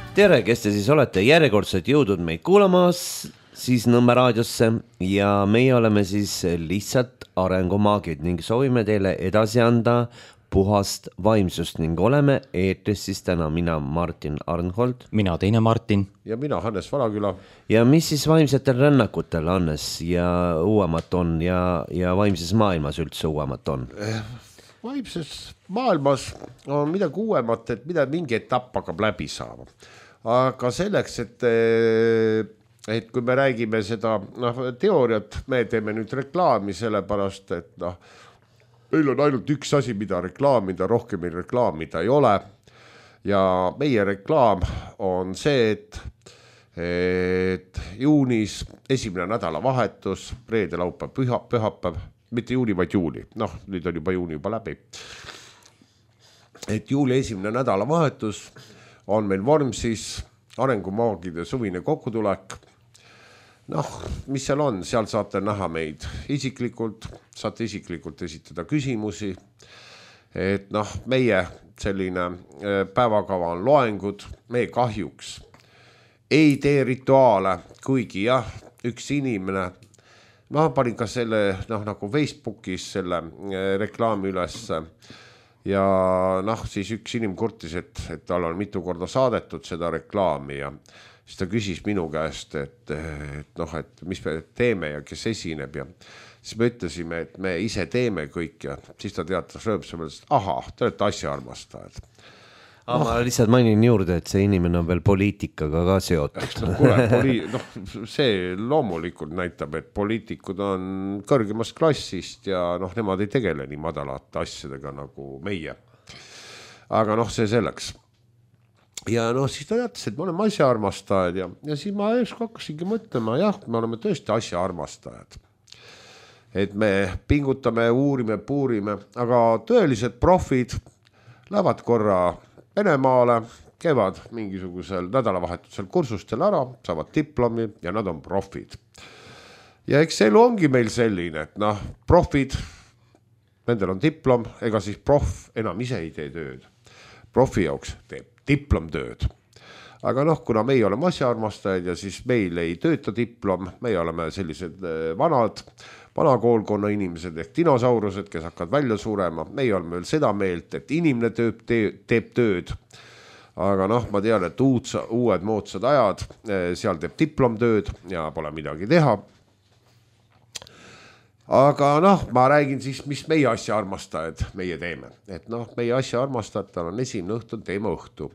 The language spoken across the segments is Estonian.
Tere, kes te siis olete järjekordselt jõudnud meid kuulamas siis Nõmme raadiosse ja meie oleme siis lihtsalt arengumaagid ning soovime teile edasi anda puhast vaimsust ning oleme eetris siis täna mina Martin Arnhold. Mina teine Martin. Ja mina Hannes Valaküla. Ja mis siis vaimsetel rännakutel Hannes ja uuemat on ja vaimses maailmas üldse uuemat on? Vaimses maailmas on midagi uuemat, et mingi etapp hakkab läbi saama. Aga selleks, et kui me räägime seda teooriat, me teeme nüüd reklaami sellepärast, et meil on ainult üks asi, mida reklaamida, rohkem meil reklaamida ei ole. Ja meie reklaam on see, et juunis esimene nädalavahetus, reede, laupäev, pühapäev, mitte juuni, vaid juuli. Nüüd on juba juuni juba läbi. Et juuli esimene nädalavahetus on meil Vormsis arengumaagide suvine kokkutulek. Mis seal on? Seal saate näha meid isiklikult, saate isiklikult esitada küsimusi. Et meie selline päevakava on loengud, me kahjuks ei tee rituaale, kuigi üks inimene, panin ka selle nagu Facebookis selle reklaami üles ja siis üks inim kurtis, et tal on mitu korda saadetud seda reklaami ja siis ta küsis minu käest, et mis me teeme ja kes esineb ja siis me ütlesime, et me ise teeme kõik ja siis ta teatas rööpsemalt, et te olete asjaarmastajad. Ma lihtsalt mainin juurde, et see inimene on veel poliitikaga ka seotud. See loomulikult näitab, et poliitikud on kõrgemast klassist ja nemad ei tegele nii madalate asjadega nagu meie. Aga see selleks. Ja siis ta teatas, et me oleme asjaarmastajad ja siis ma hakkasingi mõtlema, me oleme tõesti asjaarmastajad. Et me pingutame, uurime, puurime, aga tõelised profid lähevad korra Venemaale, käivad mingisugusel nädalavahetusel kursustel ära, saavad diplomi ja nad on profid. Ja eks elu ongi meil selline, et profid, nendel on diplom, ega siis prof enam ise ei tee tööd. Profi jaoks teeb diplomtööd. Aga kuna meie oleme asjaarmastajad ja siis meil ei tööta diplom, meie oleme sellised vana koolkonna inimesed ehk dinosaurused, kes hakkavad välja surema. Meie oleme veel seda meelt, et inimene teeb tööd. Aga ma tean, et uued moodsad ajad, seal teeb diplomtööd ja pole midagi teha. Aga ma räägin siis, mis meie asjaarmastajad meie teeme. Et meie asjaarmastajatel on esimene õhtu teema õhtu.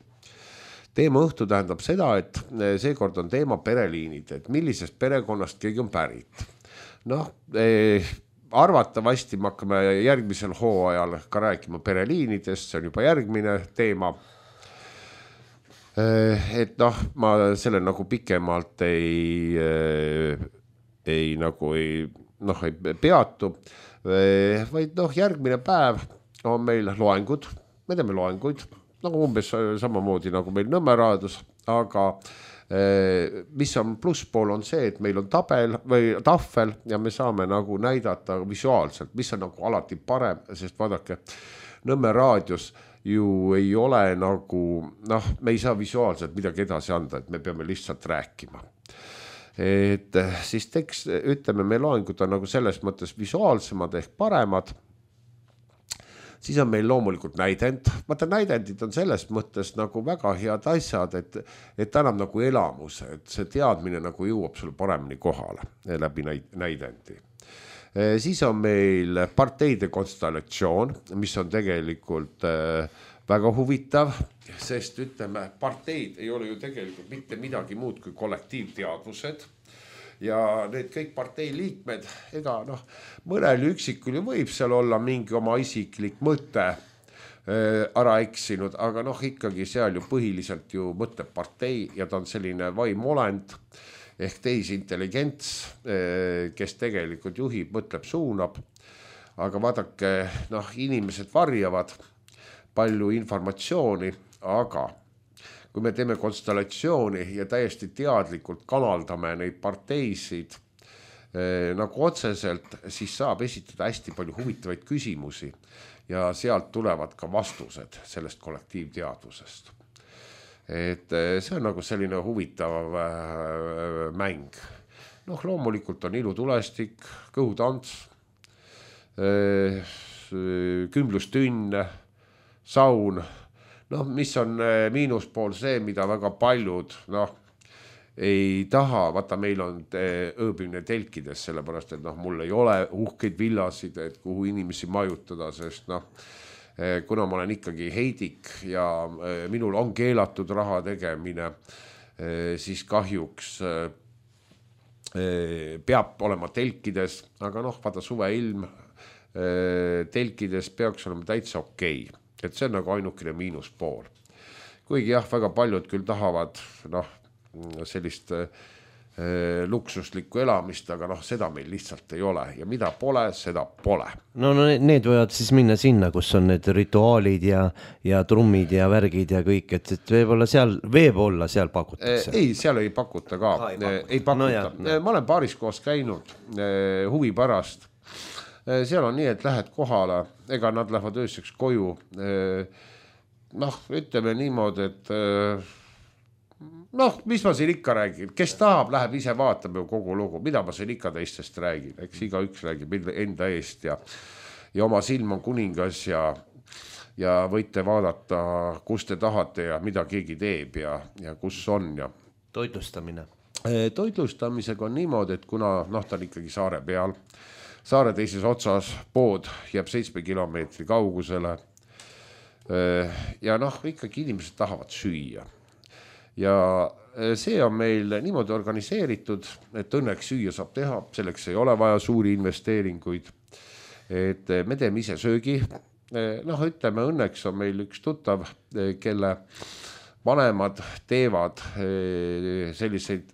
Teema õhtu tähendab seda, et seekord on teema pereliinid, et millisest perekonnast keegi on pärit. Arvatavasti me hakkame järgmisel hooajal ka rääkima pereliinidest, see on juba järgmine teema. Et ma selle nagu pikemalt ei peatu, vaid järgmine päev on meil loengud, me teeme loenguid, umbes samamoodi nagu meil Nõmme raadios, aga mis on plusspool on see, et meil on tabel või tahvel ja me saame nagu näidata visuaalselt, mis on nagu alati parem, sest vaadake, Nõmme raadios ju ei ole nagu, me ei saa visuaalselt midagi edasi anda, et me peame lihtsalt rääkima. Et siis ütleme, me loengud on nagu selles mõttes visuaalsemad ehk paremad. Siis on meil loomulikult näidend. Vaata, näidendid on selles mõttes nagu väga head asjad, et annab nagu elamuse, et see teadmine nagu jõuab sulle paremini kohale läbi näidendi. Siis on meil parteide konstellatsioon, mis on tegelikult väga huvitav, sest ütleme, parteid ei ole ju tegelikult mitte midagi muud kui kollektiivteadvused. Ja need kõik partei liikmed, ega mõnel üksikul ju võib seal olla mingi oma isiklik mõte ära eksinud, aga ikkagi seal ju põhiliselt ju mõtleb partei ja ta on selline vaimolend ehk tehisintelligents, kes tegelikult juhib, mõtleb, suunab. Aga vaadake, inimesed varjavad palju informatsiooni, aga kui me teeme konstellatsiooni ja täiesti teadlikult kanaldame neid parteisid nagu otseselt, siis saab esitada hästi palju huvitavaid küsimusi ja sealt tulevad ka vastused sellest kollektiivteadvusest. et see on nagu selline huvitav mäng. Noh, loomulikult on ilutulestik, kõhutants, kümblustünn, saun. Noh, mis on miinuspool see, mida väga paljud ei taha, vaata meil on ööbimine telkides, sellepärast, et mul ei ole uhkeid villasid, et kuhu inimesi majutada, sest kuna ma olen ikkagi heidik ja minul on keelatud raha tegemine, siis kahjuks peab olema telkides, aga vaata suveilm telkides peaks olema täitsa okei. Et see on nagu ainukene miinuspool. Kuigi väga paljud küll tahavad sellist luksuslikku elamist, aga seda meil lihtsalt ei ole ja mida pole, seda pole. No need võivad siis minna sinna, kus on need rituaalid ja trummid ja värgid ja kõik, et võib-olla seal pakutakse. Ei, seal ei pakuta ka. Ei pakuta. Ma olen paaris koos käinud huvi pärast. Seal on nii, et lähed kohale, ega nad lähevad ööseks koju. Ütleme niimoodi, et mis ma siin ikka räägin, kes tahab, läheb ise vaatab ju kogu lugu, mida ma siin ikka teistest räägin, eks iga üks räägib enda eest ja oma silm on kuningas ja võite vaadata, kus te tahate ja mida keegi teeb ja kus on ja. Toitlustamine. Toitlustamisega on niimoodi, et kuna ta on ikkagi saare peal, saare teises otsas pood jääb 7 kilomeetri kaugusele ja ikkagi inimesed tahavad süüa. Ja see on meil niimoodi organiseeritud, et õnneks süüa saab teha, selleks ei ole vaja suuri investeeringuid, et me teeme ise söögi. Ütleme, õnneks on meil üks tuttav, kelle vanemad teevad selliseid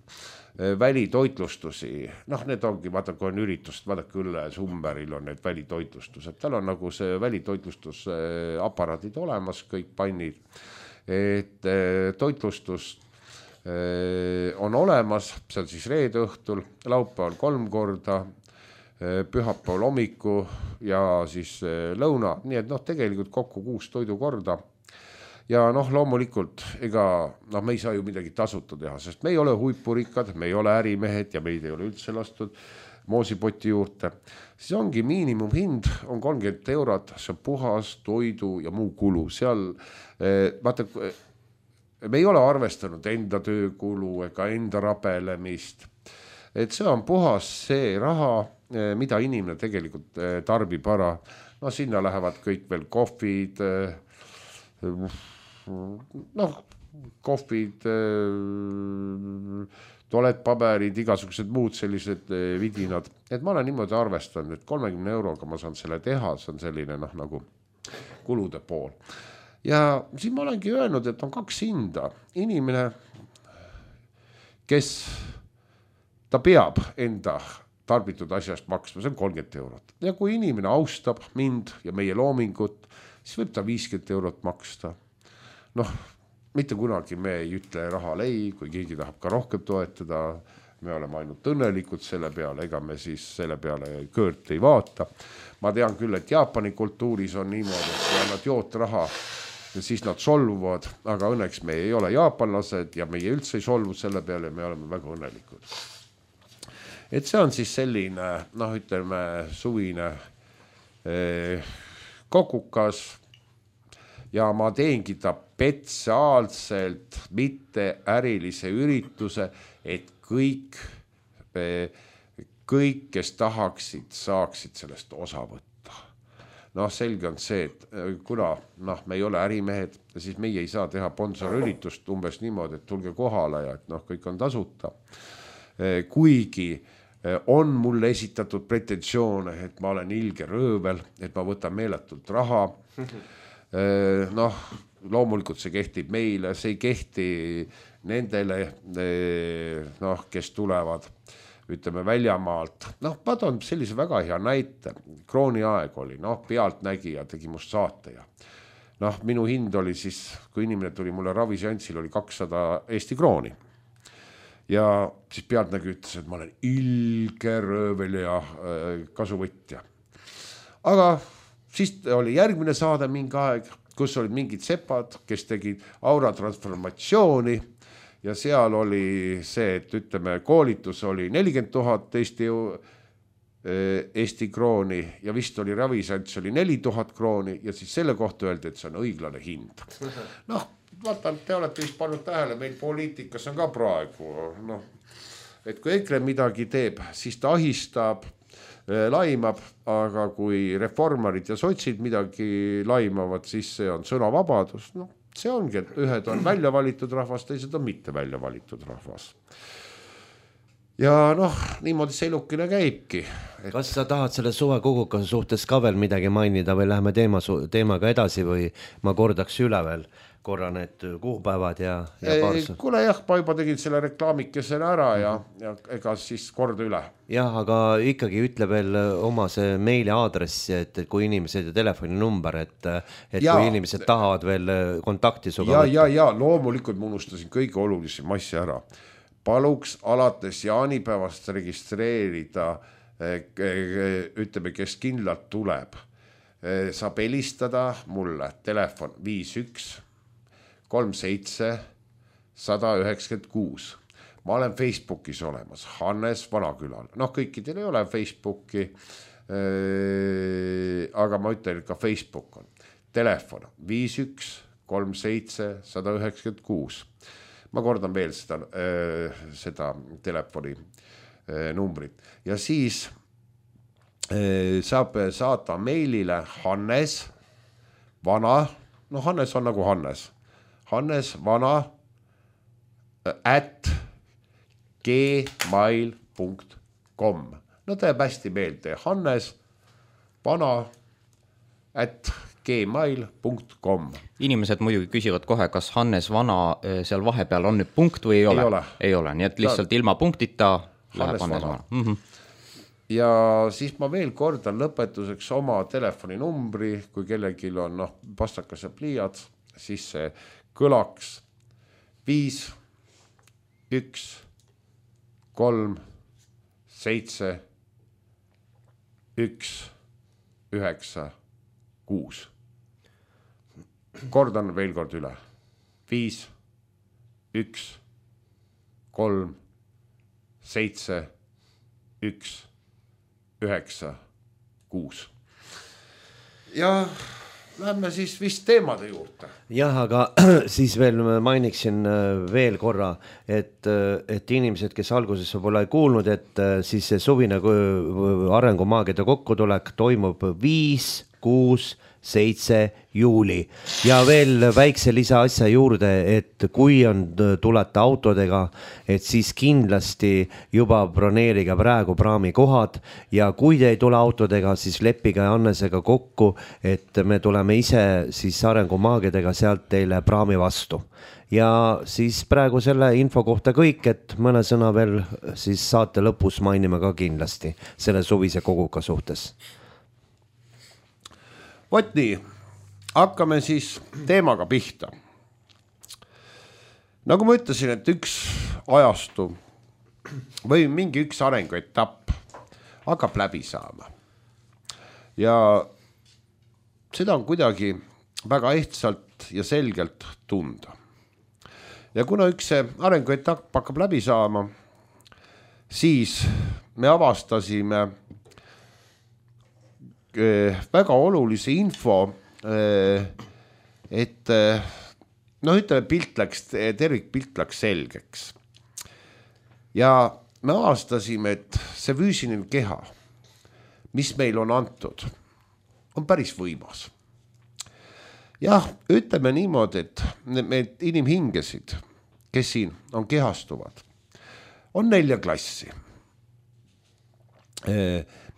välitoitlustusi. Need ongi, vaata, kui on üritust, vaadake üle Sumberil on need välitoitlustused. Tal on nagu see välitoitlustusaparaadid olemas, kõik pannid. Et toitlustus on olemas, see on siis reede õhtul, laupäeval 3 korda, pühapäeval hommiku ja siis lõuna, nii et tegelikult kokku 6 toidukorda. Ja loomulikult, me ei saa ju midagi tasuta teha, sest me ei ole huipurikad, me ei ole ärimehed ja meid ei ole üldse lastud moosipoti juurde. Siis ongi miinimumhind, on 30 €, see on puhas toidu ja muu kulu. Seal, vaata, me ei ole arvestanud enda töökulu ega enda rabelemist. Et see on puhas see raha, mida inimene tegelikult tarbib ära. Sinna lähevad kõik veel kohvid, kohvid, tualettpaberid, igasugused muud sellised vidinad. Et ma olen niimoodi arvestanud, et 30 € ma saan selle teha, see on selline nagu kulude pool. Ja siin ma olengi öelnud, et on 2 hinda. Inimene, kes ta peab enda tarbitud asjast maksma, see on 30 €. Ja kui inimene austab mind ja meie loomingut, siis võib ta 50 € maksta. Mitte kunagi me ei ütle rahal ei, kui keegi tahab ka rohkem toetada, me oleme ainult õnnelikud selle peale, ega me siis selle peale kõõrt ei vaata. Ma tean küll, et Jaapani kultuuris on niimoodi, et kui annad jootraha, siis nad solvuvad, aga õnneks me ei ole jaapanlased ja meie üldse ei solvu selle peale ja me oleme väga õnnelikud. Et see on siis selline, ütleme, suvine kokukas ja ma teengi ta spetsiaalselt mitte ärilise ürituse, et kõik, kes tahaksid, saaksid sellest osa võtta. Selge on see, et kuna me ei ole ärimehed, siis meie ei saa teha sponsorüritust umbes niimoodi, et tulge kohale ja et kõik on tasuta. Kuigi on mulle esitatud pretensioone, et ma olen ilge röövel, et ma võtan meeletult raha. Loomulikult see kehtib meile, see ei kehti nendele, kes tulevad, ütleme, väljamaalt. Ma toon sellise väga hea näite. Krooni aeg oli, pealtnägija tegi must saate ja minu hind oli siis, kui inimene tuli mulle raviseanssil, oli 200 Eesti krooni. Ja siis pealtnägija ütles, et ma olen ilge röövel ja kasuvõtja. Aga siis oli järgmine saade mingi aeg, kus olid mingid sepad, kes tegid aura transformatsiooni ja seal oli see, et ütleme, koolitus oli 40 000 Eesti krooni ja vist oli ravisants oli 4000 krooni ja siis selle kohta öeldi, et see on õiglane hind. Noh, vaatan, te olete vist pannud tähele, meil poliitikas on ka praegu, noh, et kui EKRE midagi teeb, siis ta ahistab, laimab, aga kui reformarid ja sotsid midagi laimavad, siis see on sõnavabadus. No, see ongi, et ühed on välja valitud rahvas, teised on mitte välja valitud rahvas. Ja noh, niimoodi see elukene käibki. Kas sa tahad selle suvekoguka suhtes ka veel midagi mainida või läheme teemaga edasi või ma kordaks üle veel korra need kuupäevad ja paarsu? Kuule jah, ma juba tegin selle reklaamikesele ära ja ega siis korda üle. Jah, aga ikkagi ütle veel oma see meili aadressi, et kui inimesed ja telefoninumber, et kui inimesed tahavad veel kontakti suga võtta. Ja, loomulikult ma unustasin kõige olulisem asja ära. Paluks alates jaanipäevast registreerida, ütleme, kes kindlalt tuleb. Saab helistada mulle telefon 51 37 196. Ma olen Facebookis olemas, Hannes Vanakülal. Noh, kõikidel ei ole Facebooki, aga ma ütlen, et ka Facebook on. Telefon 51 37 196. Ma kordan veel seda telefoni numbrit. Ja siis saab saata meilile Hannes Vana, no Hannes on nagu Hannes Vana @gmail.com. No teeb hästi meelde, Hannes Vana @gmail.com. Inimesed muidugi küsivad kohe, kas Hannes Vana seal vahepeal on nüüd punkt või ei ole? Ei ole, nii et lihtsalt ilma punktita läheb Hannes Vana. Ja siis ma veel kordan lõpetuseks oma telefoninumbri, kui kellelgi on pastakas ja pliiats, siis see kõlaks 5 1 3 7 1 9 6. Kordan veel kord üle. 5 1 3 7 1 9 6. Ja lähme siis vist teemade juurde. Jah, aga siis veel mainiksin veel korra, et inimesed, kes alguses võib-olla ei kuulnud, et siis see suvine arengumaagide kokkutulek toimub 5, 6, 7 juuli ja veel väikse lisaasja juurde, et kui tulete autodega, et siis kindlasti juba broneeriga praegu praamikohad ja kui te ei tule autodega, siis leppige Hannesega kokku, et me tuleme ise siis arengumaagidega sealt teile praami vastu. Ja siis praegu selle info kohta kõik, et mõne sõna veel siis saate lõpus mainime ka kindlasti selle suvise koguka suhtes. Vot nii, hakkame siis teemaga pihta. Nagu ma ütlesin, et üks ajastu või mingi üks arenguetapp hakkab läbi saama. Ja seda on kuidagi väga ehtsalt ja selgelt tunda. Ja kuna üks arenguetapp hakkab läbi saama, siis me avastasime väga olulise info, et ütleme tervikpilt läks selgeks. Ja me avastasime, et see füüsiline keha, mis meil on antud, on päris võimas. Jah, ütleme niimoodi, et need inimhingesid, kes siin on kehastuvad, on 4 klassi.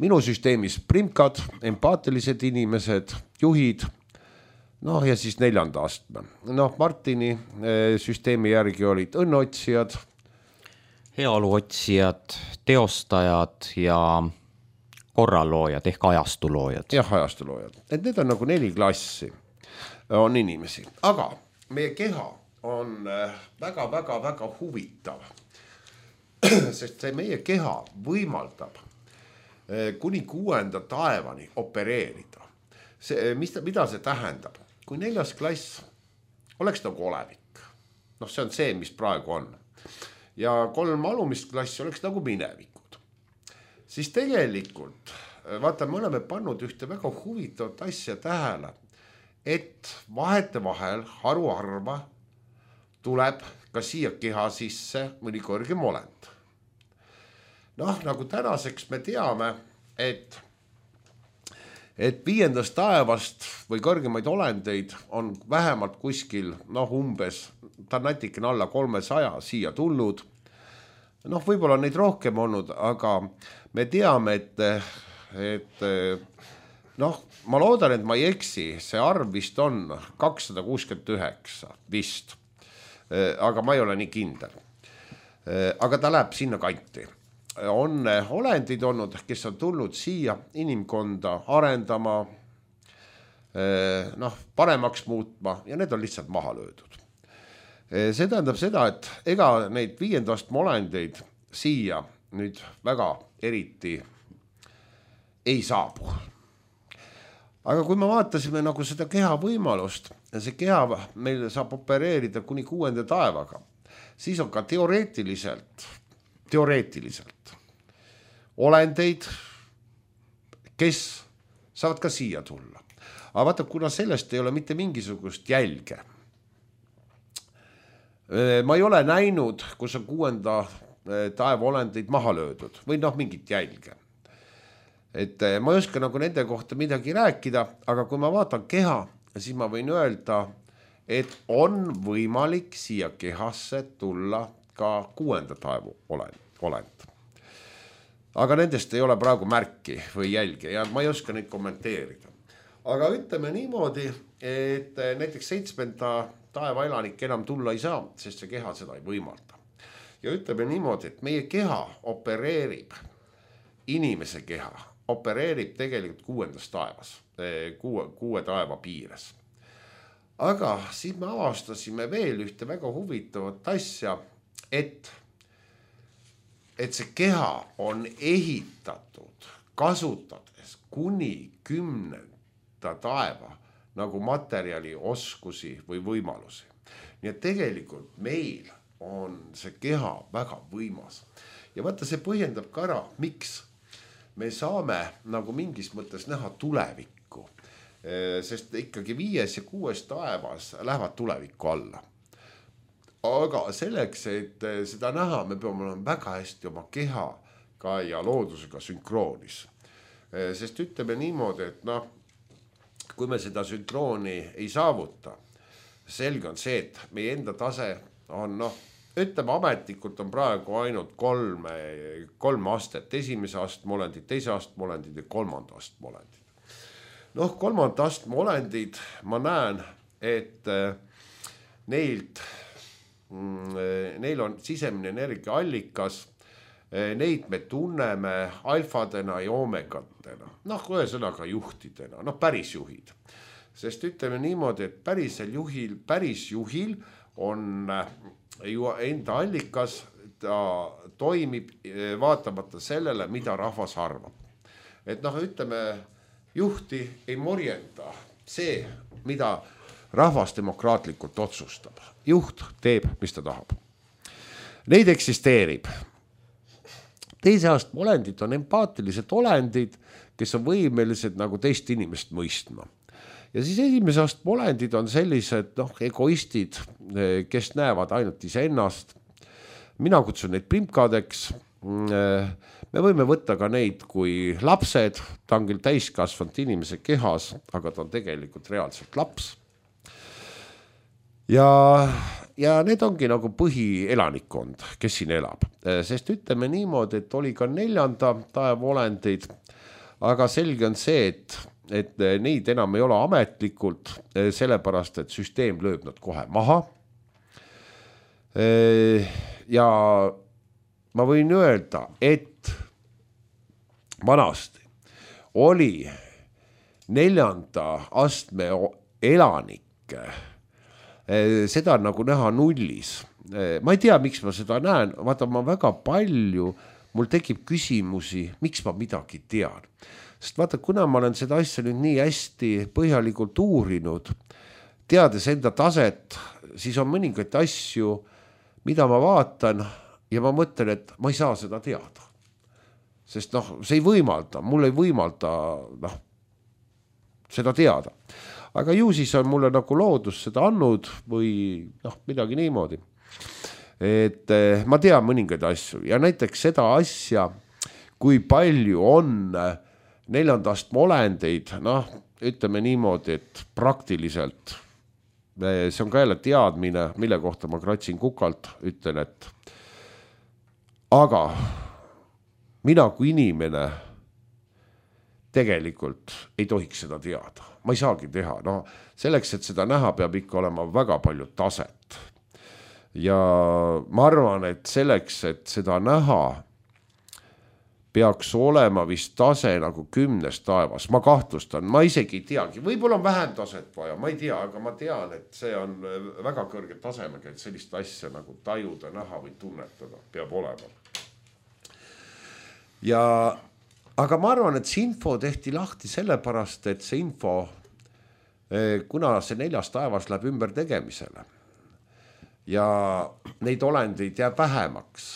Minu süsteemis primkad, empaatilised inimesed, juhid, ja siis 4. astme. Martini süsteemi järgi olid õnneotsijad, heaoluotsijad, teostajad ja korraloojad ehk ajastuloojad. Jah, ajastuloojad. Et need on nagu 4 klassi on inimesi. Aga meie keha on väga huvitav, sest see meie keha võimaldab kuni 6. taevani opereerida. Mida see tähendab? kui 4. klass oleks nagu olevik, noh, see on see, mis praegu on, ja 3 alumist klassi oleks nagu minevikud, siis tegelikult, vaata, me oleme pannud ühte väga huvitavat asja tähele, et vahetevahel haruharva tuleb ka siia keha sisse mõni kõrgem olend. Noh, nagu tänaseks me teame, et 5. taevast või kõrgemaid olendeid on vähemalt kuskil, noh, umbes, ta on natikene alla 300 siia tulnud. Noh, võib-olla neid rohkem olnud, aga me teame, et noh, ma loodan, et ma ei eksi, see arv vist on 269 vist, aga ma ei ole nii kindel. Aga ta läheb sinna kanti. On olendid olnud, kes on tulnud siia inimkonda arendama, noh, paremaks muutma ja need on lihtsalt maha löödud. See tähendab seda, et ega neid 5. astme olendeid siia nüüd väga eriti ei saabu. Aga kui me vaatasime nagu seda keha võimalust, see keha meil saab opereerida kuni 6. taevaga, siis on ka teoreetiliselt olendeid, kes saavad ka siia tulla. Aga vaata, kuna sellest ei ole mitte mingisugust jälge. Ma ei ole näinud, kus on 6. taeva olendeid maha löödud või noh, mingit jälge. Et ma ei oska nagu nende kohta midagi rääkida, aga kui ma vaatan keha, siis ma võin öelda, et on võimalik siia kehasse tulla ka 6. taevu olend. Aga nendest ei ole praegu märki või jälge ja ma ei oska neid kommenteerida. Aga ütleme niimoodi, et näiteks 7. taeva elanik enam tulla ei saa, sest see keha seda ei võimalda. Ja ütleme niimoodi, et meie keha opereerib, inimese keha opereerib tegelikult 6. taevas, 6 taeva piires. Aga siis me avastasime veel ühte väga huvitavat asja, et see keha on ehitatud, kasutades kuni 10. taeva nagu materjali, oskusi või võimalusi. Nii et tegelikult meil on see keha väga võimas. Ja vaata, see põhjendab ka ära, miks me saame nagu mingis mõttes näha tulevikku, sest ikkagi 5. ja 6. taevas lähevad tulevikku alla. Aga selleks, et seda näha, me peame olema väga hästi oma kehaga ja loodusega sünkroonis. Sest ütleme niimoodi, et noh, kui me seda sünkrooni ei saavuta, selge on see, et meie enda tase on noh, ütleme ametlikult on praegu ainult 3 astet, 1. astme olendid, 2. astme olendid ja 3. astme olendid. Noh, 3. astme olendid, ma näen, et neil on sisemine energiaallikas, neid me tunneme alfadena ja omegatena, noh, ühesõnaga juhtidena, noh, päris juhid. Sest ütleme niimoodi, et päris juhil on ju enda allikas, ta toimib vaatamata sellele, mida rahvas arvab. Et noh, ütleme, juhti ei morjenda see, mida rahvas demokraatlikult otsustab. Juht teeb, mis ta tahab. Neid eksisteerib. 2. astme olendid on empaatilised olendid, kes on võimelised nagu teist inimest mõistma. Ja siis 1. astme olendid on sellised egoistid, kes näevad ainult iseennast. Mina kutsun neid primkadeks. Me võime võtta ka neid kui lapsed, ta on küll täiskasvanud inimese kehas, aga ta on tegelikult reaalselt laps. Ja need ongi nagu põhielanikkond, kes siin elab. Sest ütleme niimoodi, et oli ka 4. taeva olendeid, aga selge on see, et neid enam ei ole ametlikult, sellepärast, et süsteem lööb nad kohe maha. Ja ma võin öelda, et vanasti oli 4. astme elanikke, seda nagu näha nullis. Ma ei tea, miks ma seda näen, vaata ma väga palju, mul tekib küsimusi, miks ma midagi tean. Sest vaata, kuna ma olen seda asja nüüd nii hästi põhjalikult uurinud, teades enda taset, siis on mõningaid asju, mida ma vaatan ja ma mõtlen, et ma ei saa seda teada. Sest see ei võimalda, mul ei võimalda seda teada. Aga ju siis on mulle nagu loodus seda andnud või midagi niimoodi. Et ma tean mõningaid asju ja näiteks seda asja, kui palju on 4. astme olendeid, ütleme niimoodi, et praktiliselt see on ka jälle teadmine, mille kohta ma kratsin kukalt, ütlen, et aga mina kui inimene tegelikult ei tohiks seda teada. Ma ei saagi teha. Selleks, et seda näha, peab ikka olema väga palju taset. Ja ma arvan, et selleks, et seda näha, peaks olema vist tase nagu 10 taevas. Ma kahtlustan, ma isegi ei teagi. Võib-olla on vähem taset vaja, ma ei tea, aga ma tean, et see on väga kõrge tasemega, et sellist asja nagu tajuda, näha või tunnetada peab olema. Aga ma arvan, et see info tehti lahti sellepärast, et see info, kuna see 4. taevas läheb ümber tegemisele ja neid olendeid jääb vähemaks,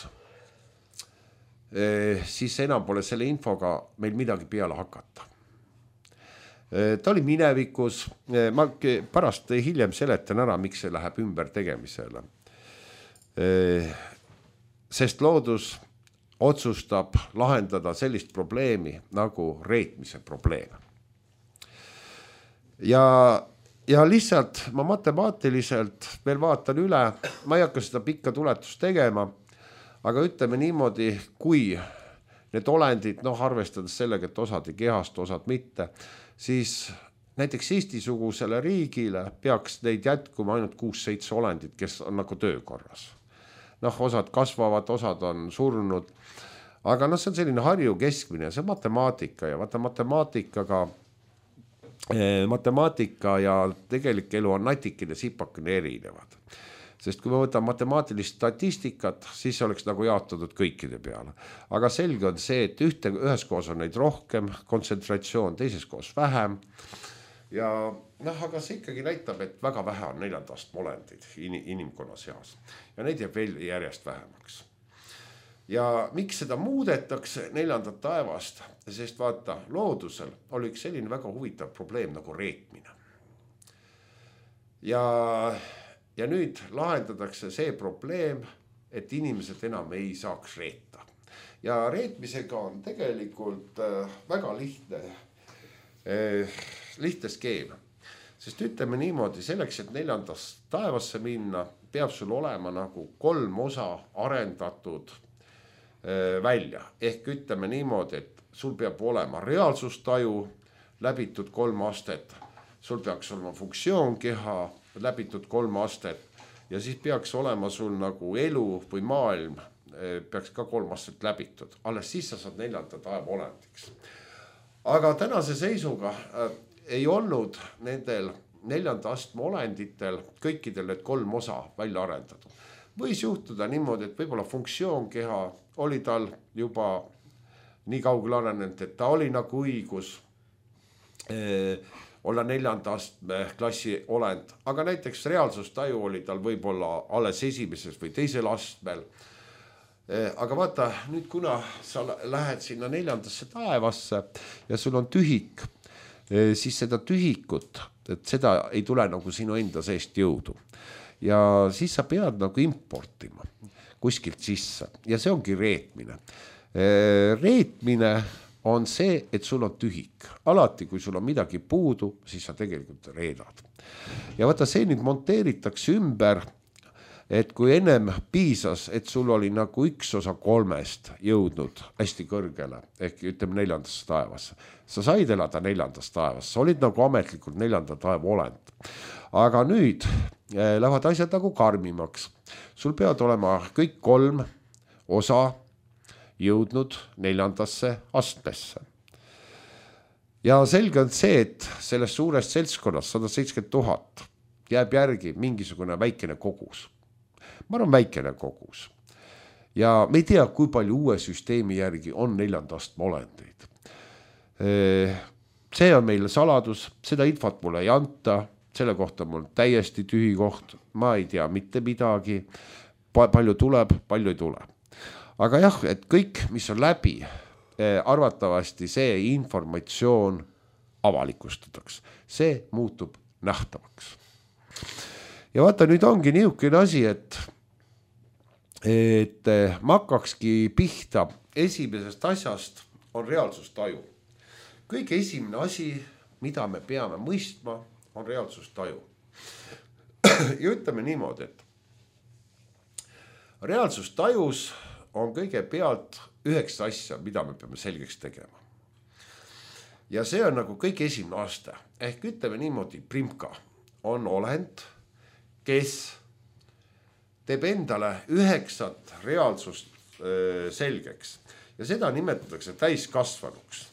siis enam pole selle infoga meil midagi peale hakata. Ta oli minevikus, ma pärast hiljem seletan ära, miks see läheb ümber tegemisele. Sest loodus otsustab lahendada sellist probleemi nagu reetmise probleem. Ja lihtsalt ma matemaatiliselt veel vaatan üle, ma ei hakka seda pikka tuletust tegema, aga ütleme niimoodi, kui need olendid, arvestades sellega, et osad ei kehast, osad mitte, siis näiteks Eesti-sugusele riigile peaks neid jätkuma ainult 6-7 olendid, kes on nagu töökorras. Osad kasvavad, osad on surnud, aga see on selline Harju keskmine, see on matemaatika ja vaata matemaatika ja tegelik elu on natikene sipakene erinevad. Sest kui me võtame matemaatilist statistikat, siis oleks nagu jaotatud kõikide peale. Aga selge on see, et ühes koos on neid rohkem, kontsentratsioon teises koos vähem. Ja aga see ikkagi näitab, et väga vähe on 4. astme olendid inimkonna seas. Ja neid jääb veel järjest vähemaks. Ja miks seda muudetakse 4. taevast? Sest vaata, loodusel oli üks selline väga huvitav probleem nagu reetmine. Ja nüüd lahendatakse see probleem, et inimesed enam ei saaks reeta. Ja reetmisega on tegelikult väga lihtne skeem. Sest ütleme niimoodi, selleks, et 4. taevasse minna, peab sul olema nagu 3 osa arendatud välja. Ehk ütleme niimoodi, et sul peab olema reaalsustaju, läbitud 3 astet. Sul peaks olema funktsioonkeha, läbitud 3 astet. Ja siis peaks olema sul nagu elu või maailm, peaks ka 3 astet läbitud. Alles siis sa saad 4. taeva olendiks. Aga tänase seisuga ei olnud nendel 4. astme olenditel kõikidel need 3 osa välja arendatud. Võis juhtuda niimoodi, et võib-olla funktsioonkeha oli tal juba nii kaugel arenenud, et ta oli nagu õigus olla 4. astme klassi olend. Aga näiteks reaalsustaju oli tal võib-olla alles 1. või 2. astmel. Aga vaata, nüüd kuna sa lähed sinna 4. taevasse ja sul on tühik, siis seda tühikut, et seda ei tule nagu sinu enda seest jõudu. Ja siis sa pead nagu importima kuskilt sisse ja see ongi reetmine. Reetmine on see, et sul on tühik. Alati, kui sul on midagi puudu, siis sa tegelikult reedad. Ja vaata, see nüüd monteeritakse ümber, et kui ennem piisas, et sul oli nagu 1 osa 3 jõudnud hästi kõrgele, ehk ütleme 4. taevasse. Sa said elada 4. taevasse, sa olid nagu ametlikult 4. taeva olend. Aga nüüd lähevad asjad nagu karmimaks. Sul peavad olema kõik 3 osa jõudnud 4. astmesse. Ja selge on see, et sellest suurest seltskonnast 170 000 jääb järgi mingisugune väikene kogus. Ma arvan väikene kogus. Ja me ei tea, kui palju uue süsteemi järgi on 4. astme olendeid. See on meile saladus, seda infot mulle ei anta, selle kohta mul täiesti tühi koht, ma ei tea mitte midagi, palju tuleb, palju ei tule. Aga jah, et kõik, mis on läbi, arvatavasti see informatsioon avalikustataks, see muutub nähtavaks. Ja vaata, nüüd ongi niisugune asi, et ma hakkakski pihta esimesest asjast on reaalsustaju. Kõige esimene asi, mida me peame mõistma, on reaalsustaju. Ja ütleme niimoodi, et reaalsustajus on kõigepealt 9 asja, mida me peame selgeks tegema. Ja see on nagu kõige esimene aste. Ehk ütleme niimoodi, primka on olend, kes teeb endale 9 reaalsust selgeks ja seda nimetatakse täiskasvanuks.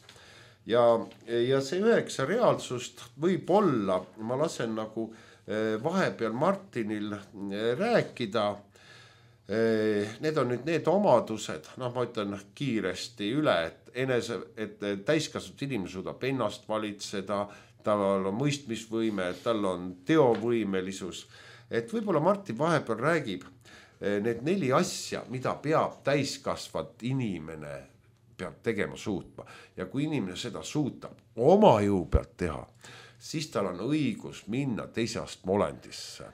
Ja see 9 reaalsust võib olla, ma lasen nagu vahepeal Martinil rääkida, need on nüüd need omadused, ma ütlen kiiresti üle, et täiskasvanud inimene suudab ennast valitseda, tal on mõistmisvõime, tal on teovõimelisus. Et võib-olla Martin vahepeal räägib need 4 asja, mida peab täiskasvat inimene peab tegema suutma. Ja kui inimene seda suutab oma jõu pealt teha, siis tal on õigus minna teise astme olendisse.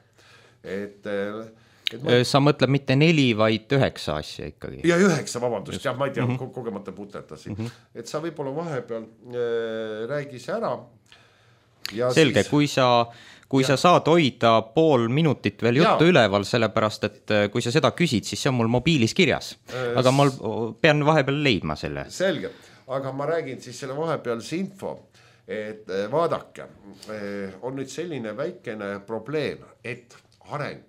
Sa mõtled mitte 4, vaid 9 asja ikkagi. Ja 9, vabandust, jah, ma ei tea, kogemata putetasin. Et sa võib-olla vahepeal räägis ära. Ja selge, siis... kui sa saad hoida pool minutit veel juttu üleval, sellepärast, et kui sa seda küsid, siis see on mul mobiilis kirjas. Aga ma pean vahepeal leidma selle. Selge, aga ma räägin siis selle vahepealse info, et vaadake, on nüüd selline väikene probleem, et areng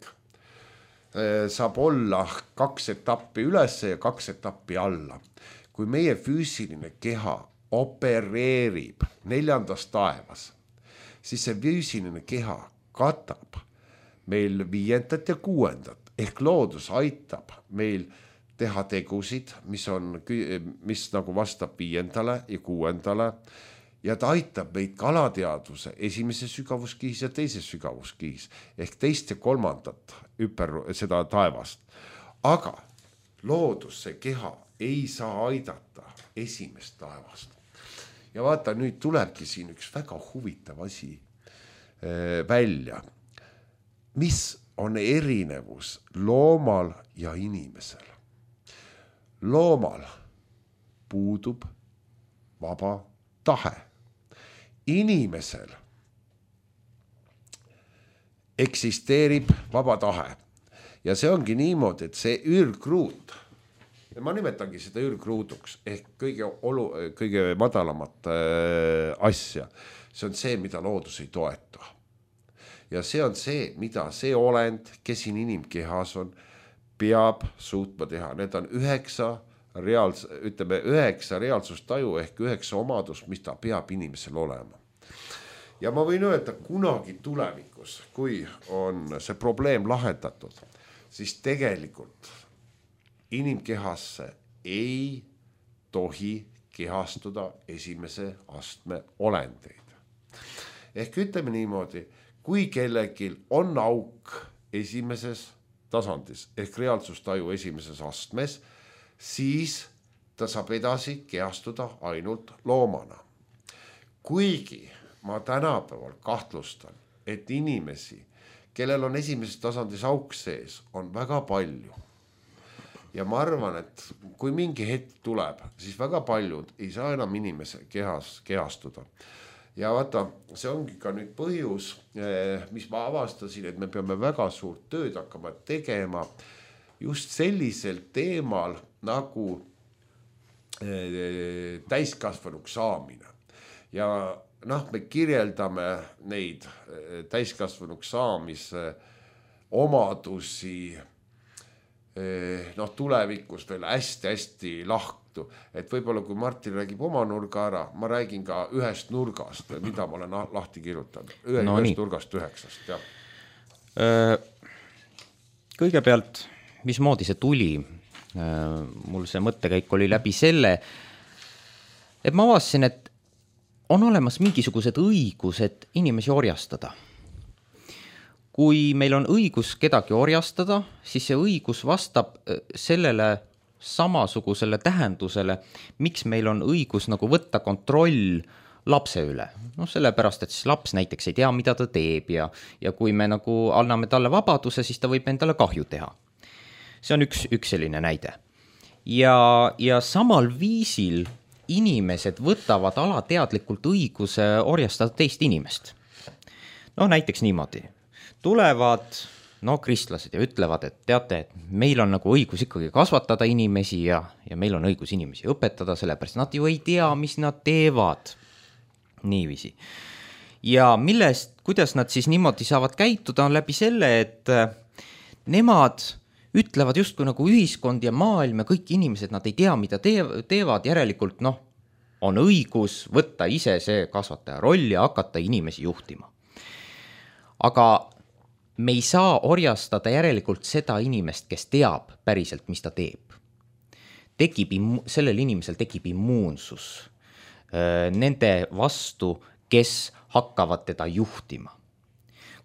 saab olla 2 etappi üles ja 2 etappi alla. Kui meie füüsiline keha opereerib 4. taevas, siis see füüsiline keha katab meil 5. ja 6. ehk loodus aitab meil teha tegusid, mis nagu vastab 5. ja 6. ja ta aitab meid ka alateadvuse 1. sügavuskihis ja 2. sügavuskihis ehk 2. ja 3. seda taevast. Aga loodus, see keha ei saa aidata 1. taevast. Ja vaata, nüüd tulebki siin üks väga huvitav asi välja. Mis on erinevus loomal ja inimesel? Loomal puudub vaba tahe. Inimesel eksisteerib vaba tahe. Ja see ongi niimoodi, et see ürgruut, ma nimetangi seda ürgruuduks ehk kõige madalamat asja. See on see, mida loodus ei toeta. Ja see on see, mida see olend, kes siin inimkehas on, peab suutma teha. Need on 9 reaalsustaju ehk 9 omadust, mis ta peab inimesel olema. Ja ma võin öelda, kunagi tulevikus, kui on see probleem lahendatud, siis tegelikult inimkehasse ei tohi kehastuda 1. astme olendeid. Ehk ütleme niimoodi, kui kellelgi on auk 1. tasandis ehk reaalsustaju 1. astmes, siis ta saab edasi kehastuda ainult loomana. Kuigi ma tänapäeval kahtlustan, et inimesi, kellel on 1. tasandis auk sees, on väga palju. Ja ma arvan, et kui mingi hetk tuleb, siis väga paljud ei saa enam inimese kehastuda. Ja vaata, see ongi ka nüüd põhjus, mis ma avastasin, et me peame väga suurt tööd hakkama tegema just sellisel teemal nagu täiskasvanuks saamine. Ja me kirjeldame neid täiskasvanuks saamise omadusi tulevikus veel hästi lahtu, et võib-olla kui Martin räägib oma nurga ära, ma räägin ka 1 nurgast, mida ma olen lahti kirjutanud. 1 nurgast 9, jah. Kõigepealt, mismoodi see tuli? Mul see mõttekäik oli läbi selle, et ma avastasin, et on olemas mingisugused õigused inimesi orjastada. kui meil on õigus kedagi orjastada, siis see õigus vastab sellele samasugusele tähendusele, miks meil on õigus nagu võtta kontroll lapse üle. No sellepärast, et siis laps näiteks ei tea, mida ta teeb ja kui me nagu anname talle vabaduse, siis ta võib endale kahju teha. See on üks selline näide. Ja samal viisil inimesed võtavad alateadlikult õiguse orjastada teist inimest. No näiteks niimoodi. Tulevad kristlased ja ütlevad, et teate, et meil on nagu õigus ikkagi kasvatada inimesi ja meil on õigus inimesi õpetada, sellepärast nad ju ei tea, mis nad teevad. Niiviisi. Ja kuidas nad siis niimoodi saavad käituda, on läbi selle, et nemad ütlevad justkui nagu ühiskond ja maailm ja kõik inimesed, nad ei tea, mida teevad, järelikult on õigus võtta ise see kasvataja roll ja hakata inimesi juhtima. Aga me ei saa orjastada järelikult seda inimest, kes teab päriselt, mis ta teeb. Sellel inimesel tekib immuunsus nende vastu, kes hakkavad teda juhtima.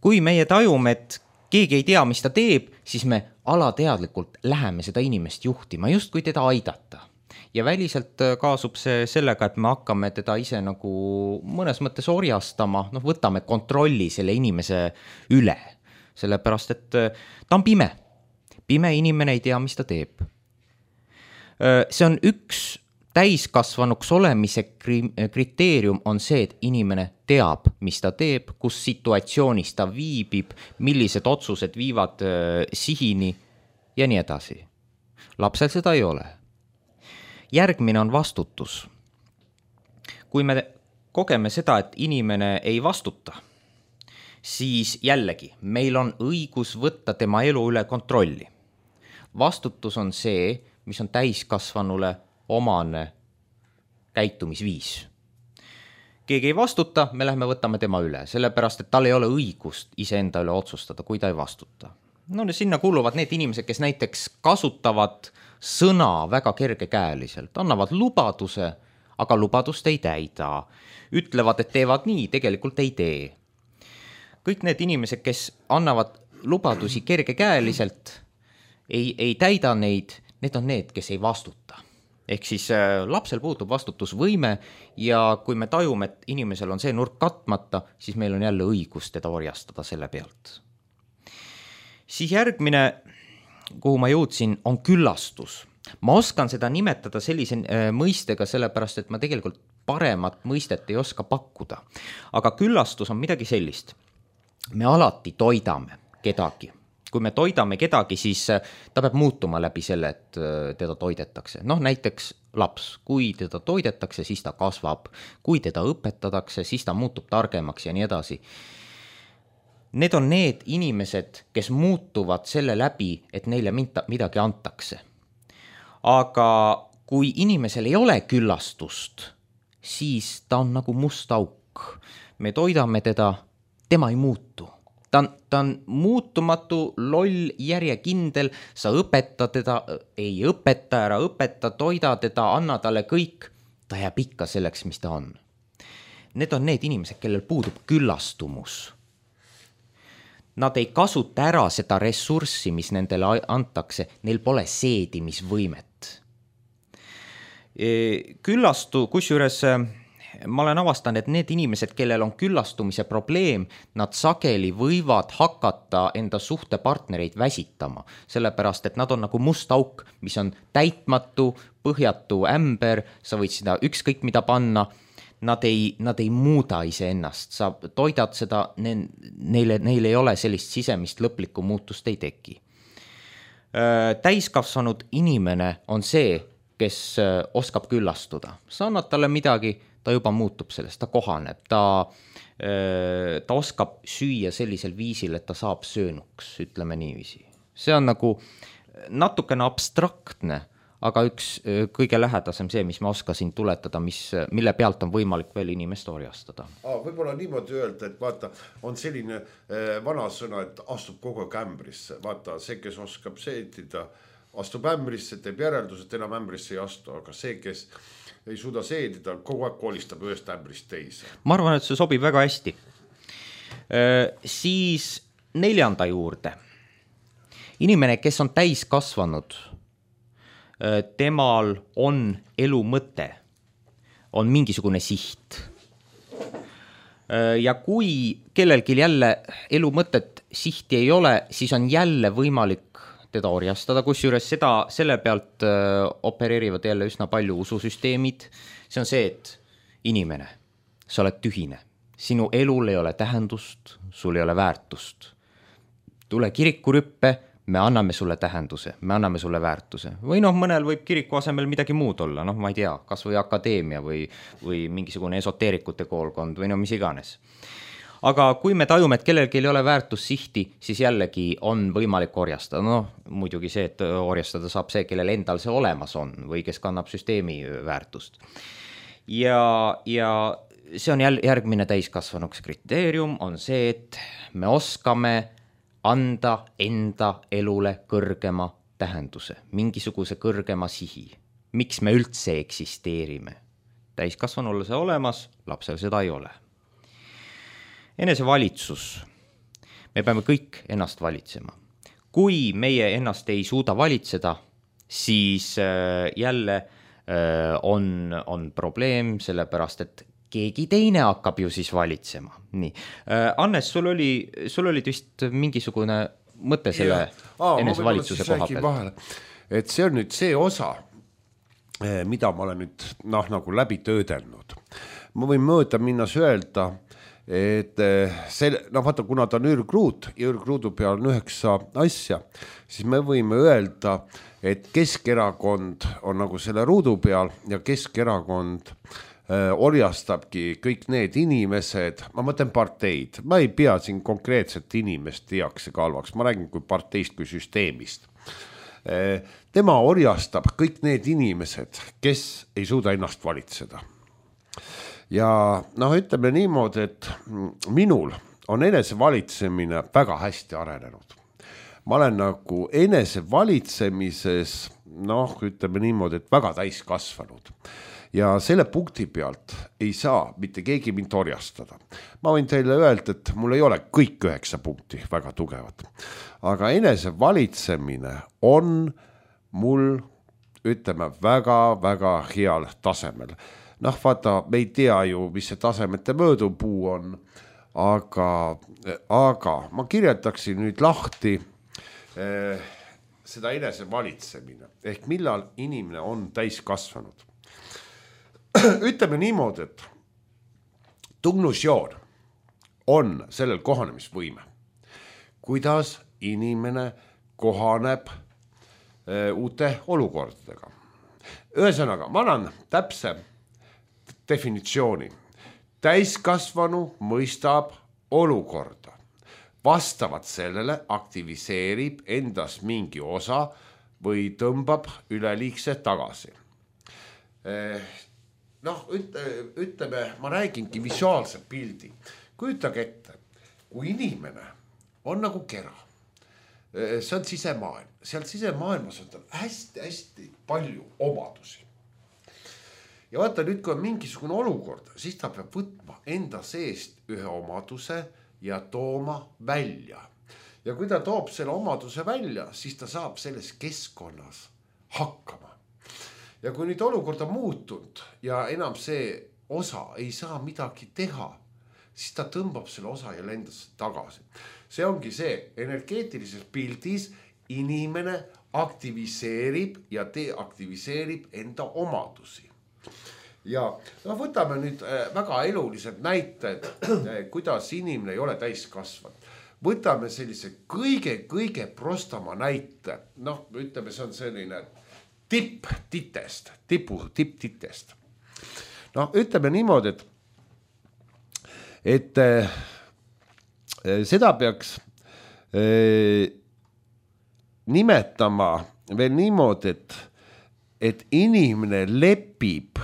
Kui meie tajume, et keegi ei tea, mis ta teeb, siis me alateadlikult läheme seda inimest juhtima, just kui teda aidata. Ja väliselt kaasub see sellega, et me hakkame teda ise nagu mõnes mõttes orjastama, võtame kontrolli selle inimese üle, sellepärast, et ta on pime. Pime inimene ei tea, mis ta teeb. See on üks täiskasvanuks olemise kriteerium on see, et inimene teab, mis ta teeb, kus situatsioonis ta viibib, millised otsused viivad sihini ja nii edasi. Lapsel seda ei ole. Järgmine on vastutus. Kui me kogeme seda, et inimene ei vastuta, siis jällegi meil on õigus võtta tema elu üle kontrolli. Vastutus on see, mis on täiskasvanule omane käitumisviis. Keegi ei vastuta, me lähme võtame tema üle, sellepärast, et tal ei ole õigust iseenda üle otsustada, kui ta ei vastuta. Sinna kuuluvad need inimesed, kes näiteks kasutavad sõna väga kergekäeliselt, annavad lubaduse, aga lubadust ei täida. Ütlevad, et teevad nii, tegelikult ei tee. Kõik need inimesed, kes annavad lubadusi kergekäeliselt, ei täida neid, need on need, kes ei vastuta. Ehk siis lapsel puutub vastutusvõime ja kui me tajume, et inimesel on see nurk katmata, siis meil on jälle õigus teda orjastada selle pealt. Siis järgmine, kuhu ma jõudsin, on küllastus. Ma oskan seda nimetada sellise mõistega, sellepärast, et ma tegelikult paremat mõistet ei oska pakkuda. Aga küllastus on midagi sellist. Me alati toidame kedagi. Kui me toidame kedagi, siis ta peab muutuma läbi selle, et teda toidetakse. Näiteks laps, kui teda toidetakse, siis ta kasvab. Kui teda õpetatakse, siis ta muutub targemaks ja nii edasi. Need on need inimesed, kes muutuvad selle läbi, et neile midagi antakse. Aga kui inimesel ei ole küllastust, siis ta on nagu must auk. Me toidame teda, tema ei muutu. Ta on muutumatu, loll, järjekindel, sa õpeta teda, ei õpeta, ära õpeta, toida teda, anna talle kõik, ta jääb ikka selleks, mis ta on. Need on need inimesed, kellel puudub küllastumus. Nad ei kasuta ära seda ressurssi, mis nendele antakse, neil pole seedimisvõimet. Kusjuures ma olen avastanud, et need inimesed, kellel on küllastumise probleem, nad sageli võivad hakata enda suhtepartnereid väsitama, sellepärast, et nad on nagu must auk, mis on täitmatu, põhjatu ämber, sa võid seda ükskõik mida panna, nad ei muuda iseennast, sa toidad seda, neil ei ole sellist sisemist lõplikku muutust ei teki. Täiskasvanud inimene on see, kes oskab küllastuda. Sa annad talle midagi, ta juba muutub sellest, ta kohaneb, ta oskab süüa sellisel viisil, et ta saab söönuks, ütleme niiviisi. See on nagu natukene abstraktne, aga üks kõige lähedasem see, mis ma oskasin tuletada, mille pealt on võimalik veel inimest orjastada. Võib-olla niimoodi öelda, et vaata, on selline vana sõna, et astub kogu aeg ämbrisse. Vaata, see, kes oskab seedida, astub ämbrisse, teeb järeldus, et enam ämbrisse ei astu, aga see, kes ei suuda seedida, kogu aeg kolistab ühest ämbrist teise. Ma arvan, et see sobib väga hästi. Siis 4. juurde. Inimene, kes on täiskasvanud, temal on elu mõte, on mingisugune siht. Ja kui kellelgi jälle elu mõtet sihti ei ole, siis on jälle võimalik teda orjastada, kusjuures selle pealt opereerivad jälle üsna palju ususüsteemid. See on see, et inimene, sa oled tühine, sinu elul ei ole tähendust, sul ei ole väärtust. Tule kirikurüppe, me anname sulle tähenduse, me anname sulle väärtuse. Või mõnel võib kiriku asemel midagi muud olla, ma ei tea, kas või akadeemia või mingisugune esoteerikute koolkond või mis iganes. Aga kui me tajume, et kellelgi ei ole väärtussihti, siis jällegi on võimalik orjastada. Muidugi see, et orjastada saab see, kellel endal see olemas on või kes kannab süsteemi väärtust. Ja see on järgmine täiskasvanuks kriteerium, on see, et me oskame anda enda elule kõrgema tähenduse, mingisuguse kõrgema sihi. Miks me üldse eksisteerime? Täiskasvanul see olemas, lapsel seda ei ole. Enesevalitsus. Me peame kõik ennast valitsema. Kui meie ennast ei suuda valitseda, siis jälle on probleem, sellepärast et keegi teine hakkab ju siis valitsema. Nii. Annes, sul oli vist mingisugune mõte selle enesevalitsuse koha pealt. Et see on nüüd see osa, mida ma olen nüüd nagu läbi töödelnud. Ma võin mööda minnas öelda, et vaata, kuna ta on ürgruud ja ürgruudu peal on 9 asja, siis me võime öelda, et Keskerakond on nagu selle ruudu peal ja Keskerakond orjastabki kõik need inimesed, ma mõtlen parteid, ma ei pea siin konkreetset inimest heaks ja kalvaks, ma räägin kui parteist kui süsteemist. Tema orjastab kõik need inimesed, kes ei suuda ennast valitseda. Ja ütleme niimoodi, et minul on enesevalitsemine väga hästi arenenud. Ma olen nagu enesevalitsemises, ütleme niimoodi, et väga täiskasvanud. Ja selle punkti pealt ei saa mitte keegi mind orjastada. Ma võin teile öelda, et mul ei ole kõik 9 punkti väga tugevad. Aga enesevalitsemine on mul, ütleme, väga-väga heal tasemel. Vaata, me ei tea ju, mis see tasemete möödupuu on, aga ma kirjeldaksin nüüd lahti seda enesevalitsemine. Ehk millal inimene on täiskasvanud. Ütleme niimoodi, et tunnusjoon on sellel kohanemisvõime. Kuidas inimene kohaneb uute olukordadega. Ühesõnaga, ma annan täpse definitsiooni. Täiskasvanu mõistab olukorda. Vastavalt sellele aktiviseerib endas mingi osa või tõmbab üleliigse tagasi. Ütleme, ma räägingi visuaalse pildi. Kujutage ette, kui inimene on nagu kera, see on sisemaailm, seal sisemaailmas on tal hästi-hästi palju omadusi. Ja vaata nüüd, kui on mingisugune olukord, siis ta peab võtma enda seest ühe omaduse ja tooma välja. Ja kui ta toob selle omaduse välja, siis ta saab selles keskkonnas hakkama. Ja kui nüüd olukord on muutunud ja enam see osa ei saa midagi teha, siis ta tõmbab selle osa ja lendas tagasi. See ongi see, energeetilises pildis inimene aktiviseerib ja deaktiviseerib enda omadusi. Ja võtame nüüd väga elulised näited, kuidas inimene ei ole täiskasvanud. Võtame sellise kõige prostama näite. Ütleme, see on selline tipptitest. Ütleme niimoodi, et seda peaks nimetama veel niimoodi, et inimene lepib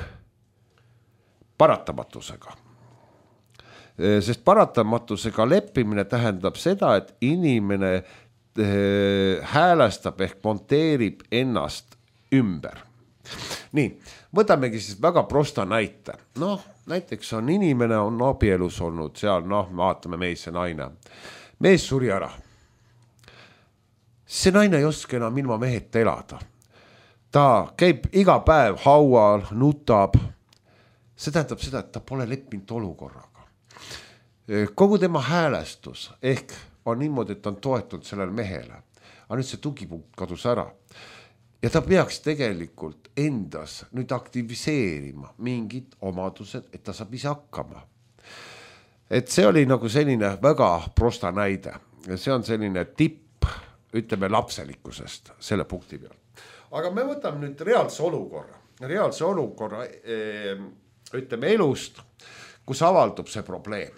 paratamatusega. Sest paratamatusega leppimine tähendab seda, et inimene häälestab ehk monteerib ennast ümber. Nii, võtamegi siis väga prosta näite. Näiteks on inimene on abielus olnud seal, vaatame mees ja naine. mees suri ära. See naine ei oska enam ilma meheta elada. Ta käib iga päev haual, nutab. See tähendab seda, et ta pole leppinud olukorraga. Kogu tema häälestus ehk on niimoodi, et ta on toetunud sellele mehele. Aga nüüd see tugipunkt kadus ära. Ja ta peaks tegelikult endas nüüd aktiviseerima mingid omadused, et ta saab ise hakkama. Et see oli nagu selline väga prosta näide. See on selline tipp, ütleme lapselikkusest selle punkti peal. Aga me võtame nüüd reaalse olukorra, ütleme elust, kus avaldub see probleem.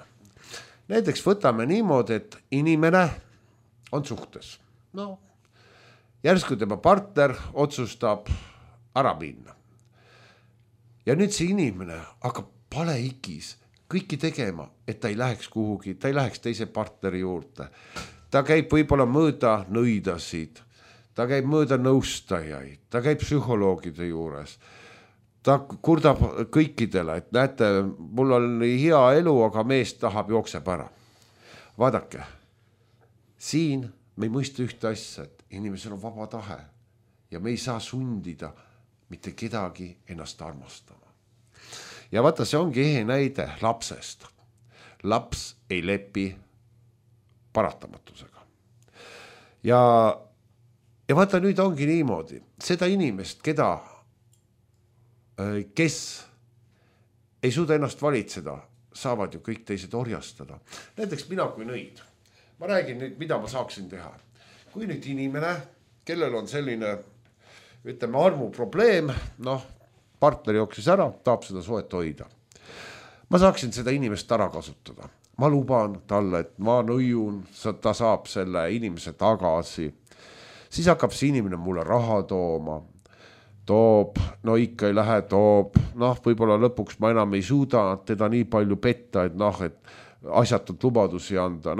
Näiteks võtame niimoodi, et inimene on suhtes. No, järsku tema partner otsustab ära minna. Ja nüüd see inimene hakkab palehigis kõiki tegema, et ta ei läheks kuhugi, ta ei läheks teise partneri juurde. Ta käib võib-olla mööda nõidasid, ta käib mööda nõustajaid, ta käib psühholoogide juures. Ta kurdab kõikidele, et näete, mul on hea elu, aga mees tahab jookseb ära. Vaadake, siin me ei mõista ühte asja, et inimesel on vaba tahe ja me ei saa sundida mitte kedagi ennast armastama. Ja vaata, see ongi ehe näide lapsest. Laps ei lepi paratamatusega. Ja vaata, nüüd ongi niimoodi. Seda inimest, kes ei suuda ennast valitseda, saavad ju kõik teised orjastada. Näiteks mina kui nõid. Ma räägin nüüd, mida ma saaksin teha. Kui nüüd inimene, kellel on selline, ütleme, armuprobleem, partner jooksis ära, tahab seda suhet hoida. Ma saaksin seda inimest ära kasutada. Ma luban talle, et ma nõiun, ta saab selle inimese tagasi. Siis hakkab see inimene mulle raha tooma. Toob, ikka ei lähe, toob. Võib-olla lõpuks ma enam ei suuda teda nii palju petta, et asjatult lubadusi anda.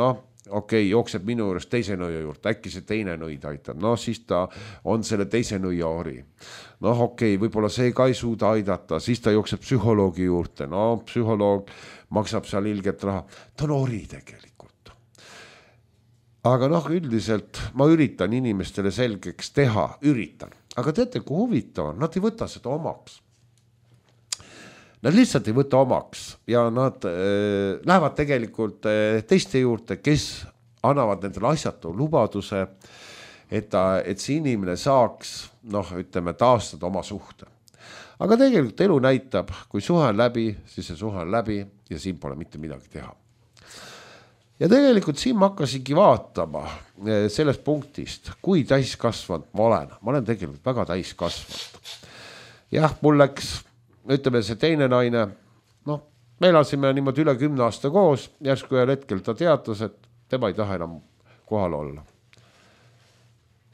Okei, jookseb minu juures teise nõia juurde, äkki see teine nõid aitab. Siis ta on selle teise nõia ori. Okei, võib-olla see ka ei suuda aidata, siis ta jookseb psühholoogi juurde. Psühholoog maksab seal ilget raha. Ta on ori tegelikult. Aga üldiselt ma üritan inimestele selgeks teha, Aga teate, kui huvitav on, nad ei võta seda omaks. Nad lihtsalt ei võta omaks ja nad lähevad tegelikult teiste juurde, kes annavad nendele asjatu lubaduse, et see inimene saaks, ütleme, taastada oma suhte. Aga tegelikult elu näitab, kui suhe on läbi, siis see suhe on läbi ja siin pole mitte midagi teha. Ja tegelikult siin ma hakkasingi vaatama sellest punktist, kui täiskasvanud ma olen tegelikult väga täiskasvanud. Jah, mul läks, ütleme, see teine naine, me elasime niimoodi üle 10 aasta koos, järsku ühel hetkel ta teatas, et tema ei taha enam kohal olla.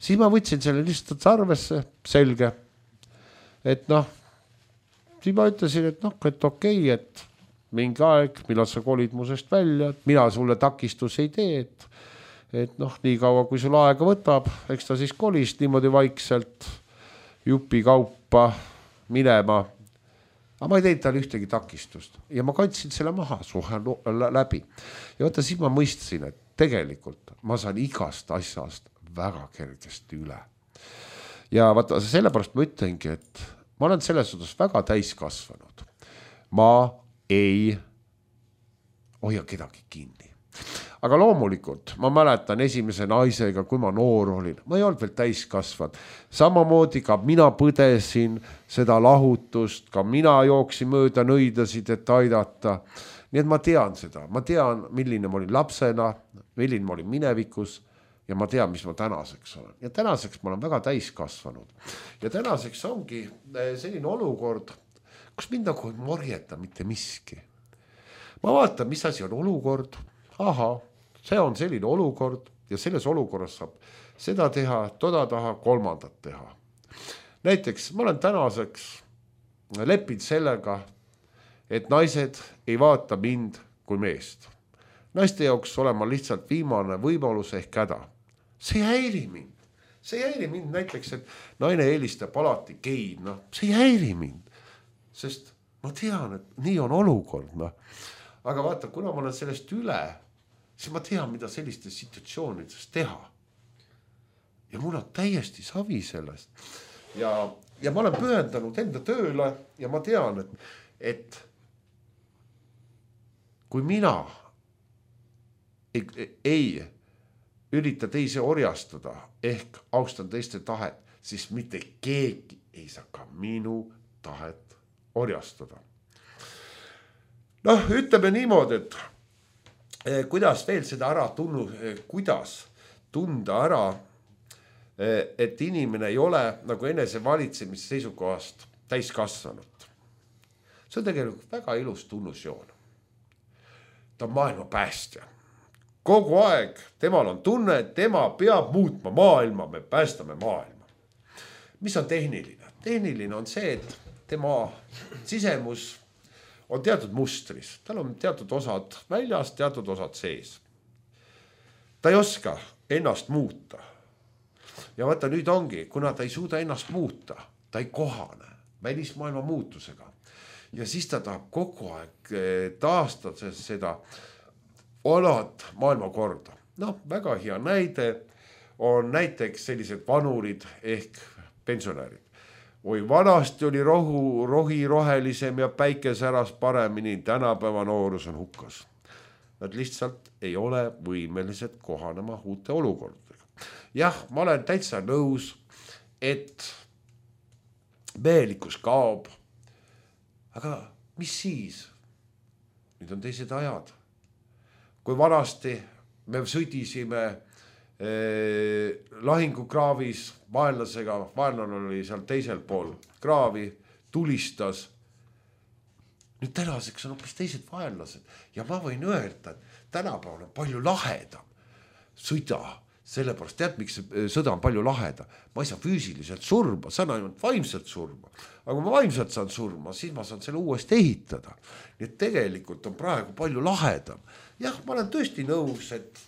Siis ma võtsin selle lihtsalt arvesse, selge, et siis ma ütlesin, et okei, et mingi aeg, millal sa kolid musest välja, et mina sulle takistus ei tee, et nii kaua, kui sul aega võtab, eks ta siis kolis niimoodi vaikselt jupi kaupa minema. Aga ma ei teinud talle ühtegi takistust ja ma kandsin selle maha suhe läbi. Ja vaata, siis ma mõistsin, et tegelikult ma saan igast asjast väga kergesti üle. Ja vaata, sellepärast ma ütlengi, et ma olen selles suhtes väga täiskasvanud. Ma ei hoia kedagi kinni. Aga loomulikult, ma mäletan esimese naisega, kui ma noor olin, ma ei olnud veel täiskasvanud. Samamoodi ka mina põdesin seda lahutust, ka mina jooksin mööda nõidasid, et aidata. Nii et ma tean seda, ma tean, milline ma olin lapsena, milline ma olin minevikus ja ma tean, mis ma tänaseks olen. Ja tänaseks ma olen väga täiskasvanud. Ja tänaseks ongi selline olukord, kus mind nagu ei morjeta mitte miski. Ma vaatan, mis asi on olukord. Aha, see on selline olukord ja selles olukorras saab seda teha, toda taha, kolmandat teha. Näiteks ma olen tänaseks leppinud sellega, et naised ei vaata mind kui meest. Naiste jaoks olen ma lihtsalt viimane võimalus ehk häda. See ei häiri mind. See ei häiri mind näiteks, et naine eelistab alati geid. See ei häiri mind. Sest ma tean, et nii on olukord. Aga vaata, kuna ma olen sellest üle, siis ma tean, mida sellistes situatsioonides teha. Ja mul on täiesti savi sellest. Ja ma olen pühendanud enda tööle ja ma tean, et kui mina ei ürita teisi orjastada ehk austan teiste tahet, siis mitte keegi ei saa ka minu tahet orjastada. Noh, ütleme niimoodi, et kuidas veel seda ära kuidas tunda ära, et inimene ei ole nagu enesevalitsemise seisukohast täiskasvanud. See on tegelikult väga ilus tunnusjoon. Ta on maailma päästja. Kogu aeg temal on tunne, et tema peab muutma maailma, me päästame maailma. Mis on tehniline? Tehniline on see, et tema sisemus on teatud mustris. Tal on teatud osad väljas, teatud osad sees. Ta ei oska ennast muuta. Ja vaata, nüüd ongi, kuna ta ei suuda ennast muuta, ta ei kohane välismaailma muutusega. Ja siis ta tahab kogu aeg taastada seda vanad maailmakorda. Noh, väga hea näide on näiteks sellised vanurid ehk pensionärid. Oi, vanasti oli rohi rohelisem ja päike säras paremini, tänapäeva noorus on hukkas. Nad lihtsalt ei ole võimelised kohanema uute olukordadega. Jah, ma olen täitsa nõus, et mehelikkus kaob. Aga mis siis? Nüüd on teised ajad. Kui vanasti me sõdisime lahingukraavis vaenlasega, vaenlane oli seal teisel pool kraavi, tulistas. Nüüd tänaseks on hoopis teised vaenlased ja ma võin öelda, et tänapäeval on palju lahedam sõda. Sellepärast tead, miks sõda on palju laheda. Ma ei saa füüsiliselt surma, saan ainult vaimselt surma. Aga kui ma vaimselt saan surma, siis ma saan selle uuesti ehitada. Nii et tegelikult on praegu palju lahedam. Jah, ma olen tõesti nõus, et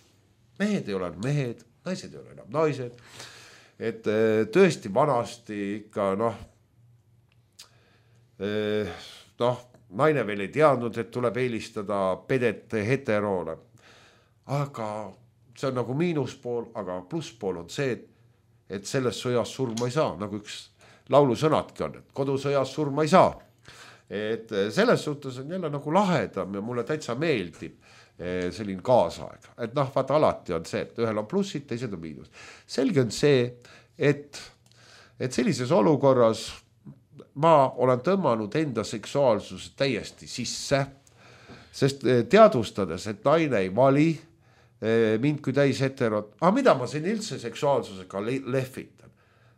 mehed ei ole mehed, naised ei ole enam naised. Et tõesti vanasti ikka naine veel ei teadnud, et tuleb eelistada pedet heteroole. Aga see on nagu miinuspool, aga plusspool on see, et selles sõjas surma ei saa, nagu üks laulusõnadki on, et kodusõjas surma ei saa. Et selles suhtes on jälle nagu lahedam ja mulle täitsa meeldib selline kaasaeg. Et vaata alati on see, et ühel on plussid, teised on miinus. Selge on see, et sellises olukorras ma olen tõmmanud enda seksuaalsuse täiesti sisse, sest teadvustades, et naine ei vali mind kui täis heterot. Aga mida ma siin üldse seksuaalsusega lehvitan?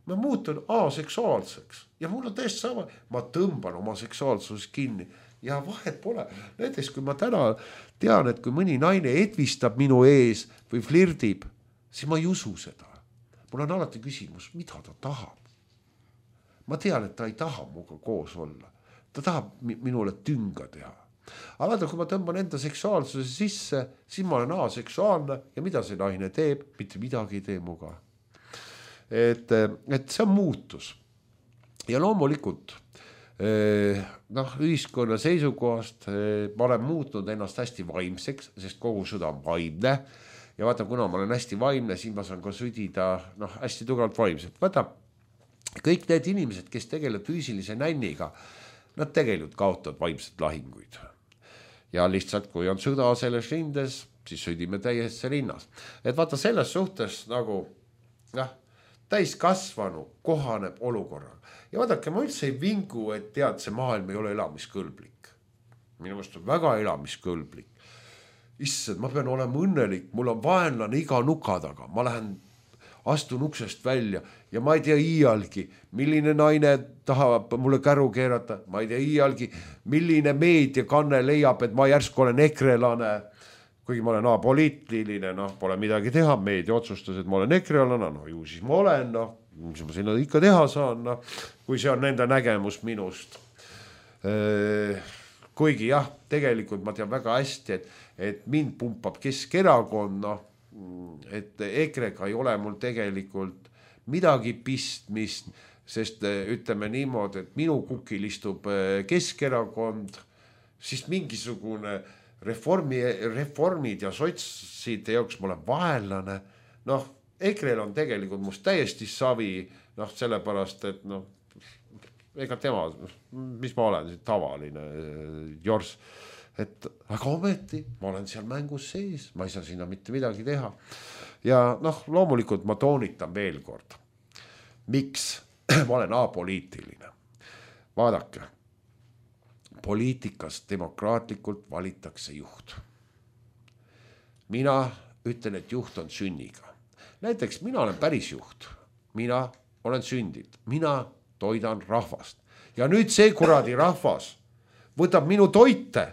Ma muutun aseksuaalseks ja mul on täiesti sama. Ma tõmban oma seksuaalsusest kinni ja vahet pole. Näiteks kui ma täna tean, et kui mõni naine edvistab minu ees või flirdib, siis ma ei usu seda. Mul on alati küsimus, mida ta tahab. Ma tean, et ta ei taha muga koos olla. Ta tahab minule tünga teha. Aga vaata, kui ma tõmban enda seksuaalsuse sisse, siis ma olen aseksuaalne ja mida see naine teeb, mitte midagi ei tee muga. Et see on muutus. Ja loomulikult, ühiskonna seisukohast ma olen muutnud ennast hästi vaimseks, sest kogu sõda on vaimne. Ja vaata, kuna ma olen hästi vaimne, siis ma saan ka südida hästi tugevalt vaimselt. Vaata, kõik need inimesed, kes tegelevad füüsilise nänniga, nad tegelikult kaotavad vaimsed lahinguid. Ja lihtsalt, kui on sõda selles rindes, siis sõdime täiesti rinnas. Et vaata, selles suhtes nagu täiskasvanu kohaneb olukorraga. Ja vaadake, ma üldse ei vingu, et tead, see maailm ei ole elamiskõlblik. Minu meelest on väga elamiskõlblik. Issand, ma pean olema õnnelik, mul on vaenlane iga nuka taga. Ma lähen astun uksest välja ja ma ei tea iialgi, milline naine tahab mulle käru keerata. Ma ei tea iialgi, milline meediakanne leiab, et ma järsku olen ekrelane. Kuigi ma olen apoliitiline, pole midagi teha. Meedia otsustas, et ma olen ekrelane, ju siis ma olen, mis ma sinna ikka teha saan, kui see on nende nägemus minust. Kuigi jah, tegelikult ma tean väga hästi, et mind pumpab Keskerakond, et EKRE-ga ei ole mul tegelikult midagi pistmist, sest ütleme niimoodi, et minu kukil istub Keskerakond, siis mingisugune reformid ja sotside jaoks ma olen vaenlane, noh, EKRE-l on tegelikult must täiesti savi, noh, sellepärast, et noh, ega tema, mis ma olen, tavaline jors, et aga ometi ma olen seal mängus sees, ma ei saa sinna mitte midagi teha. Ja noh, loomulikult ma toonitan veel kord, miks ma olen apoliitiline. Vaadake, poliitikas demokraatlikult valitakse juht. Mina ütlen, et juht on sünniga. Näiteks mina olen päris juht, mina olen sündinud, mina toidan rahvast. Ja nüüd see kuradi rahvas võtab minu toite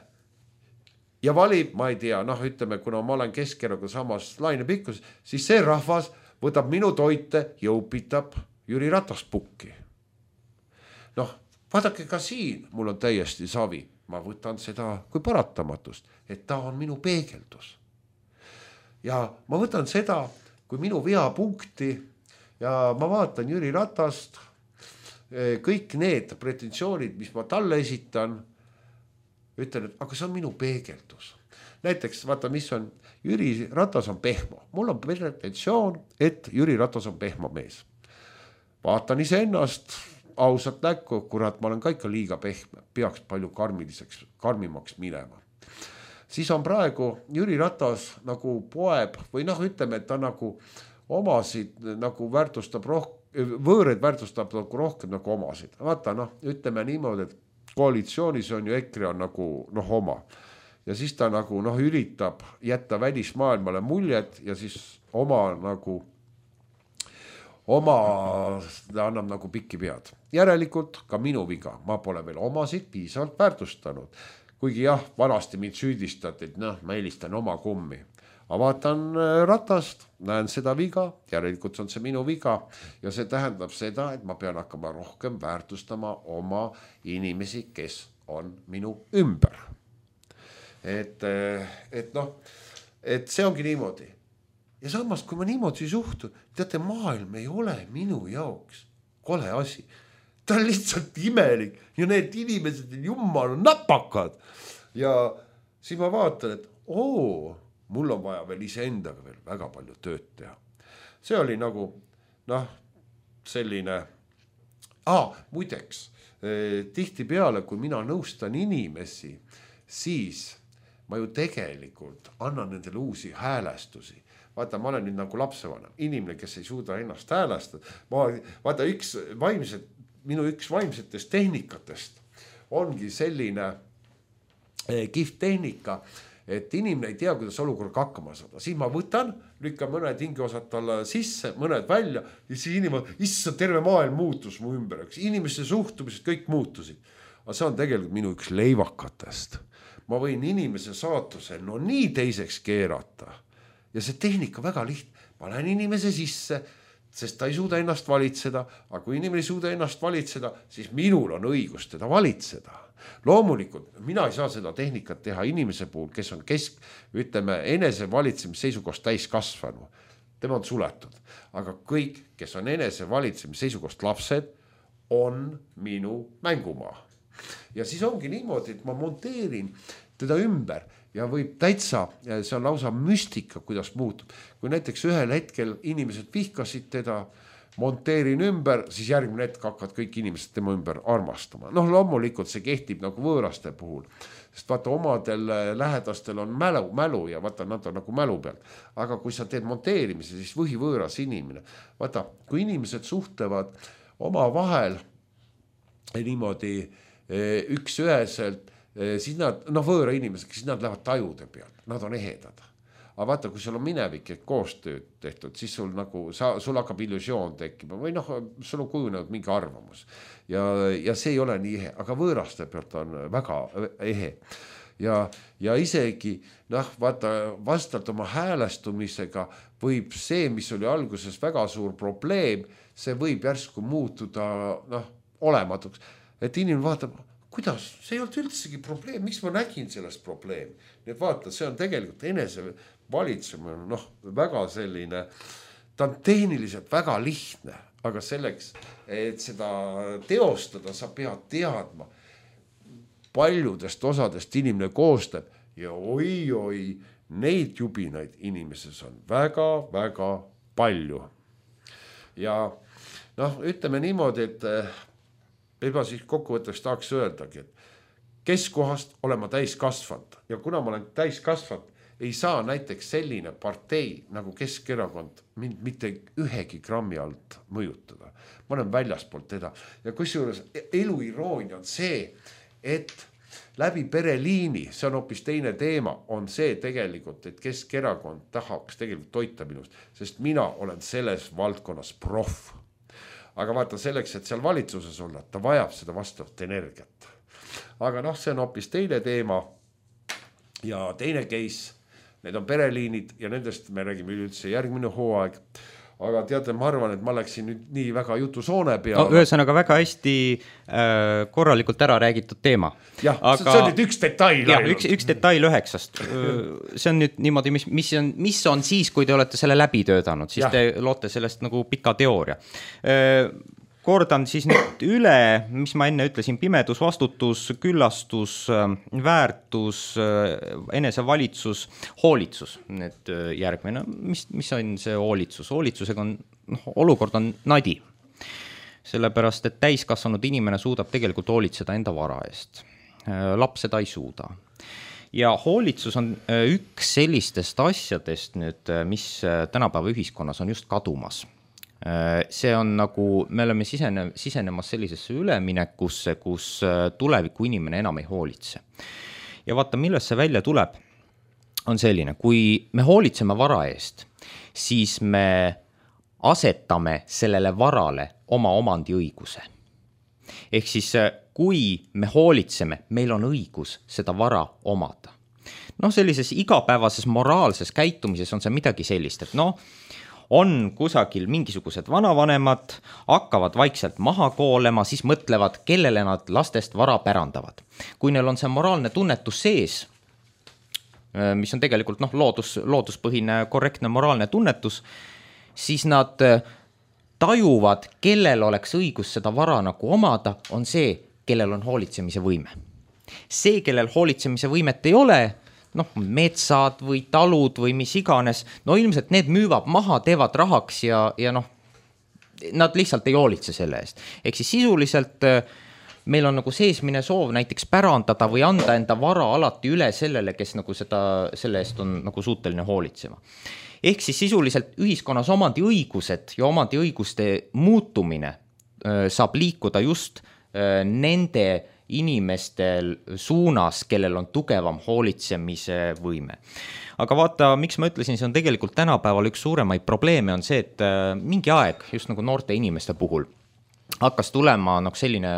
ja valib, ma ei tea, noh, ütleme, kuna ma olen Keskerakonna samas lainepikkus, siis see rahvas võtab minu toite ja upitab Jüri Ratast pukki. Noh, vaadake ka siin, mul on täiesti savi. Ma võtan seda kui paratamatust, et ta on minu peegeldus. Ja ma võtan seda kui minu veapunkti ja ma vaatan Jüri Ratast, kõik need pretensioonid, mis ma talle esitan, ütlen, et aga see on minu peegeldus. Näiteks, vaata, mis on, Jüri Ratas on pehmo. Mul on pretensioon, et Jüri Ratas on pehmo mees. Vaatan iseennast ausalt näkku, kurat, ma olen ka ikka liiga pehme, peaks palju karmimaks minema. Siis on praegu Jüri Ratas nagu poeb või noh, ütleme, et ta nagu omasid nagu väärtustab võõred väärtustab nagu rohkem nagu omasid. Vaata, noh, ütleme niimoodi, et koalitsioonis on ju EKRE on nagu noh oma. Ja siis ta nagu noh, üritab jätta välismaailmale muljet ja siis oma ta annab nagu pikki pead. Järelikult ka minu viga, ma pole veel omasid piisavalt väärtustanud. Kuigi jah, vanasti mind süüdistati, et noh, ma eelistan oma kummi. Aga vaatan Ratast, näen seda viga, järelikult on see minu viga ja see tähendab seda, et ma pean hakkama rohkem väärtustama oma inimesi, kes on minu ümber. Et noh, et see ongi niimoodi. Ja samas, kui ma niimoodi suhtun, teate, maailm ei ole minu jaoks kole asi. Ta on lihtsalt imelik ja need inimesed on jumal napakad. Ja siis ma vaatan, et mul on vaja veel iseendaga veel väga palju tööd teha. See oli nagu, noh, selline, muideks, tihti peale, kui mina nõustan inimesi, siis ma ju tegelikult annan nendele uusi häälestusi. Vaata, ma olen nüüd nagu lapsevanem, inimene, kes ei suuda ennast häälestada. Vaata, minu üks vaimsetest tehnikatest ongi selline kihvt tehnika, et inimene ei tea, kuidas olukorraga hakkama saada. Siis ma võtan, lükkan mõned hingeosad talle sisse, mõned välja ja siis inimene, issand, terve maailm muutus mu ümber. Inimeste suhtumised kõik muutusid. Aga see on tegelikult minu üks leivakatest. Ma võin inimese saatuse nii teiseks keerata. Ja see tehnika väga lihtne. Ma lähen inimese sisse, sest ta ei suuda ennast valitseda, aga kui inimene ei suuda ennast valitseda, siis minul on õigus teda valitseda. Loomulikult, mina ei saa seda tehnikat teha inimese puhul, kes on ütleme, enese valitsemise seisukohast täis kasvanu. Tema on suletud. Aga kõik, kes on enese valitsemise seisukohast lapsed, on minu mängumaa. Ja siis ongi niimoodi, et ma monteerin teda ümber ja võib täitsa, see on lausa müstika, kuidas muutub. Kui näiteks ühel hetkel inimesed vihkasid teda, monteerin ümber, siis järgmine hetk hakkavad kõik inimesed tema ümber armastama. Noh, loomulikult see kehtib nagu võõraste puhul, sest vaata, omadel lähedastel on mälu ja vaata, nad on nagu mälu pealt. Aga kui sa teed monteerimise, siis võõras inimene. Vaata, kui inimesed suhtlevad oma vahel niimoodi üks-üheselt, siis nad, võõra inimesed, siis nad lähevad tajude pealt, nad on ehedad. Aga vaata, kui sul on minevik koostööd tehtud, siis sul hakkab illusioon tekkima või sul on kujunenud mingi arvamus. Ja see ei ole nii ehe, aga võõraste pealt on väga ehe. Ja isegi, vaata, vastavalt oma häälestumisega võib see, mis oli alguses väga suur probleem, see võib järsku muutuda olematuks. Et inimene vaatab, kuidas, see ei olnud üldsegi probleem, miks ma nägin sellest probleemi. Nii et vaata, see on tegelikult enese valitsemine, väga selline, ta on tehniliselt väga lihtne, aga selleks, et seda teostada, sa pead teadma, paljudest osadest inimene koostab ja oi, neid jubinaid inimeses on väga-väga palju. Ja noh, ütleme niimoodi, et juba siis kokkuvõtteks tahaks öeldagi, et keskohast olen ma täiskasvanud ja kuna ma olen täiskasvanud, ei saa näiteks selline partei nagu Keskerakond mind mitte ühegi grammi alt mõjutada. Ma olen väljaspoolt teda ja kusjuures elu iroonia on see, et läbi pereliini, see on hoopis teine teema, on see tegelikult, et Keskerakond tahaks tegelikult toita minust, sest mina olen selles valdkonnas proff. Aga vaata selleks, et seal valitsuses olla, ta vajab seda vastavat energiat. Aga noh, see on hoopis teine teema ja teine case, need on pereliinid ja nendest me räägime üldse järgmine hooaeg. Aga teate, ma arvan, et ma läksin nüüd nii väga jutusoone peale. No, ühesõnaga väga hästi korralikult ära räägitud teema. Jah, aga see on nüüd üks detail. Jah, üks detail 9. See on nüüd niimoodi, mis on siis, kui te olete selle läbi töötanud, siis te loote sellest nagu pika teooria. Kordan siis nüüd üle, mis ma enne ütlesin, pimedus, vastutus, küllastus, väärtus, enesevalitsus, hoolitsus. Need järgmine, mis on see hoolitsus? Hoolitsusega on, olukord on nadi. Sellepärast, et täiskasvanud inimene suudab tegelikult hoolitseda enda vara eest. Laps seda ei suuda. Ja hoolitsus on üks sellistest asjadest nüüd, mis tänapäeva ühiskonnas on just kadumas. See on nagu, me oleme sisenemas sellisesse üleminekusse, kus tuleviku inimene enam ei hoolitse. Ja vaata, millest see välja tuleb, on selline, kui me hoolitseme vara eest, siis me asetame sellele varale oma omandiõiguse. Ehk siis, kui me hoolitseme, meil on õigus seda vara omada. Sellises igapäevases moraalses käitumises on see midagi sellist, et on kusagil mingisugused vanavanemad, hakkavad vaikselt maha koolema, siis mõtlevad, kellele nad lastest vara pärandavad. Kui neil on see moraalne tunnetus sees, mis on tegelikult looduspõhine, korrektne moraalne tunnetus, siis nad tajuvad, kellel oleks õigus seda vara nagu omada, on see, kellel on hoolitsemise võime. See, kellel hoolitsemise võimet ei ole, metsad või talud või mis iganes, ilmselt need müüvad maha, teevad rahaks ja nad lihtsalt ei hoolitse selle eest. Ehk siis sisuliselt meil on nagu seesmine soov näiteks pärandada või anda enda vara alati üle sellele, kes nagu selle eest on nagu suuteline hoolitsema. Ehk siis sisuliselt ühiskonnas omandiõigused ja omandiõiguste muutumine saab liikuda just nende inimestel suunas, kellel on tugevam hoolitsemise võime. Aga vaata, miks ma ütlesin, see on tegelikult tänapäeval üks suuremaid probleeme on see, et mingi aeg, just nagu noorte inimeste puhul, hakkas tulema selline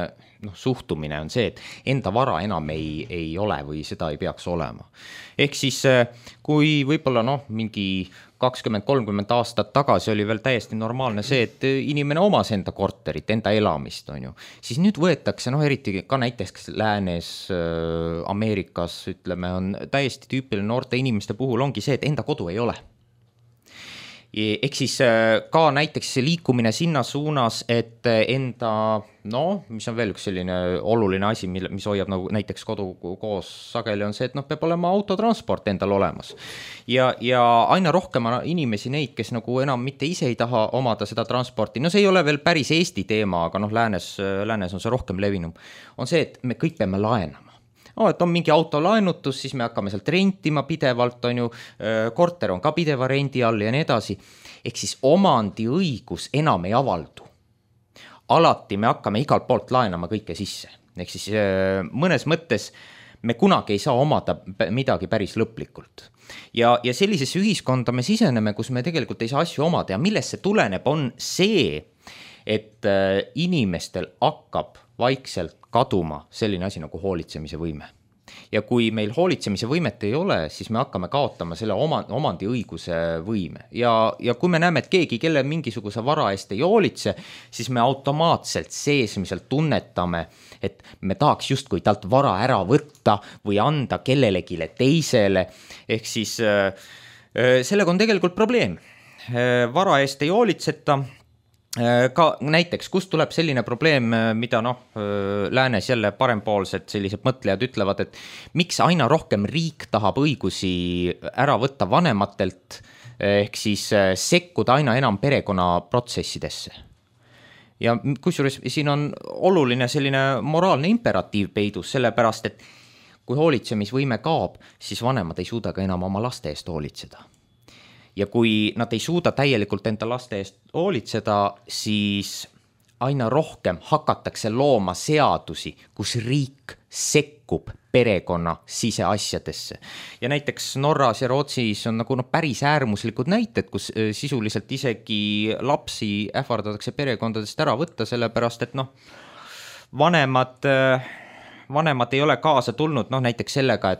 suhtumine on see, et enda vara enam ei ole või seda ei peaks olema. Ehk siis, kui võib-olla mingi 20-30 aastat tagasi oli veel täiesti normaalne see, et inimene omas enda korterit, enda elamist, siis nüüd võetakse, eriti ka näiteks läänes, Ameerikas, ütleme, on täiesti tüüpiline noorte inimeste puhul ongi see, et enda kodu ei ole. Ehk siis ka näiteks liikumine sinna suunas, et enda, mis on veel üks selline oluline asi, mis hoiab nagu näiteks kodu koos sageli on see, et peab olema autotransport endal olemas. Ja aina rohkem inimesi neid, kes nagu enam mitte ise ei taha omada seda transporti, see ei ole veel päris Eesti teema, aga läänes on see rohkem levinum, on see, et me kõik peame laenama. Et on mingi autolaenutus, siis me hakkame sealt rentima pidevalt, korter on ka pideva rendi all ja nii edasi. Ehk siis omandiõigus enam ei avaldu. Alati me hakkame igalt poolt laenama kõike sisse. Ehk siis mõnes mõttes me kunagi ei saa omada midagi päris lõplikult. Ja sellisesse ühiskonda me siseneme, kus me tegelikult ei saa asju omada ja millest see tuleneb, on see, et inimestel hakkab vaikselt kaduma selline asi nagu hoolitsemise võime. Ja kui meil hoolitsemise võimet ei ole, siis me hakkame kaotama selle omandiõiguse võime. Ja kui me näeme, et keegi, kelle mingisuguse vara eest ei hoolitse, siis me automaatselt seesmiselt tunnetame, et me tahaks justkui talt vara ära võtta või anda kellelegile teisele. Ehk siis sellega on tegelikult probleem. Vara eest ei hoolitseta ka näiteks, kust tuleb selline probleem, mida läänes jälle parempoolsed sellised mõtlejad ütlevad, et miks aina rohkem riik tahab õigusi ära võtta vanematelt, ehk siis sekkuda aina enam perekonnaprotsessidesse. Ja kusjuures siin on oluline selline moraalne imperatiiv peidus, sellepärast, et kui hoolitsemisvõime kaob, siis vanemad ei suuda ka enam oma laste eest hoolitseda. Ja kui nad ei suuda täielikult enda laste eest hoolitseda, siis aina rohkem hakatakse looma seadusi, kus riik sekkub perekonna siseasjadesse. Ja näiteks Norras ja Rootsis on nagu päris äärmuslikud näited, kus sisuliselt isegi lapsi ähvardatakse perekondadest ära võtta, sellepärast et vanemad ei ole kaasa tulnud näiteks sellega,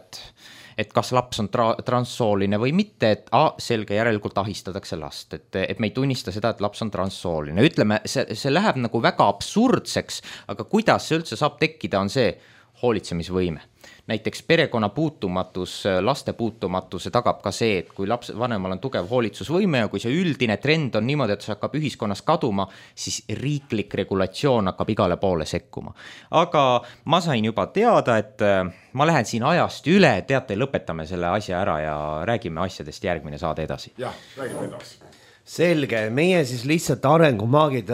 et kas laps on transsooline või mitte, et selge, järelikult ahistatakse last, et me ei tunnista seda, et laps on transsooline. Ütleme, see läheb nagu väga absurdseks, aga kuidas see üldse saab tekkida, on see hoolitsemisvõime. Näiteks perekonna puutumatus, laste puutumatuse tagab ka see, et kui vanemal on tugev hoolitsusvõime ja kui see üldine trend on niimoodi, et see hakkab ühiskonnas kaduma, siis riiklik regulatsioon hakkab igale poole sekkuma. Aga ma sain juba teada, et ma lähen siin ajast üle, teate, lõpetame selle asja ära ja räägime asjadest järgmine saade edasi. Jah, räägime edasi. Selge, meie siis lihtsalt arengumaagid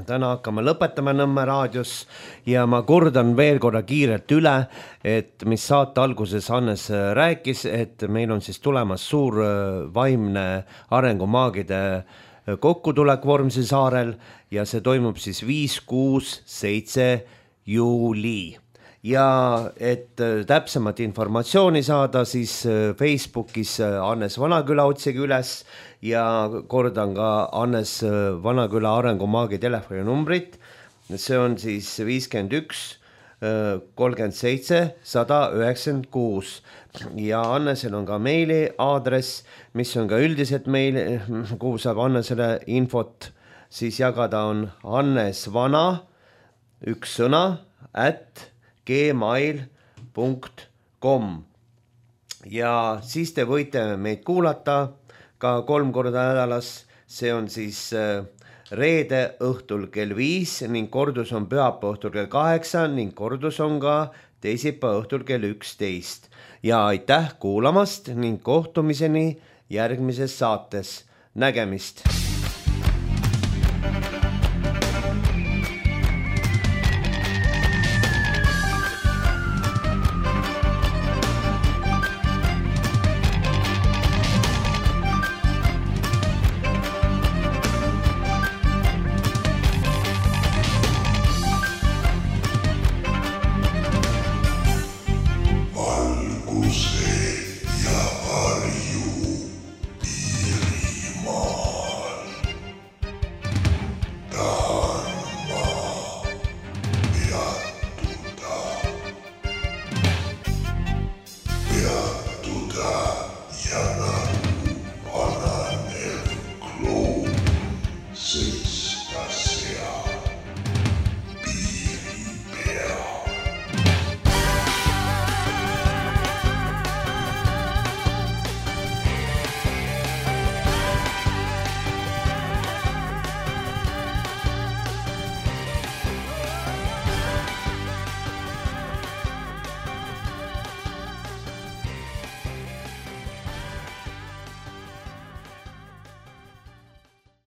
täna hakkame lõpetama Nõmme raadios ja ma kordan veel korra kiirelt üle, et mis saate alguses Hannes rääkis, et meil on siis tulemas suur vaimne arengumaagide kokkutulek Vormsi saarel ja see toimub siis 5, 6, 7 juuli. Ja et täpsemat informatsiooni saada, siis Facebookis Hannes Vanaküla otsige üles ja kordan ka Hannes Vanaküla arengumaagi telefoninumbrit. See on siis 51 37 196 ja Hannesel on ka meili aadress, mis on ka üldiselt meil, kuhu saab Hannesele infot siis jagada, on hannesvana, üks sõna, @gmail.com ja siis te võite meid kuulata ka 3 korda nädalas, see on siis reede õhtul kell 5 ning kordus on pühapäeva õhtul kell 8 ning kordus on ka teisipäeva õhtul kell 11 ja aitäh kuulamast ning kohtumiseni järgmises saates, nägemist!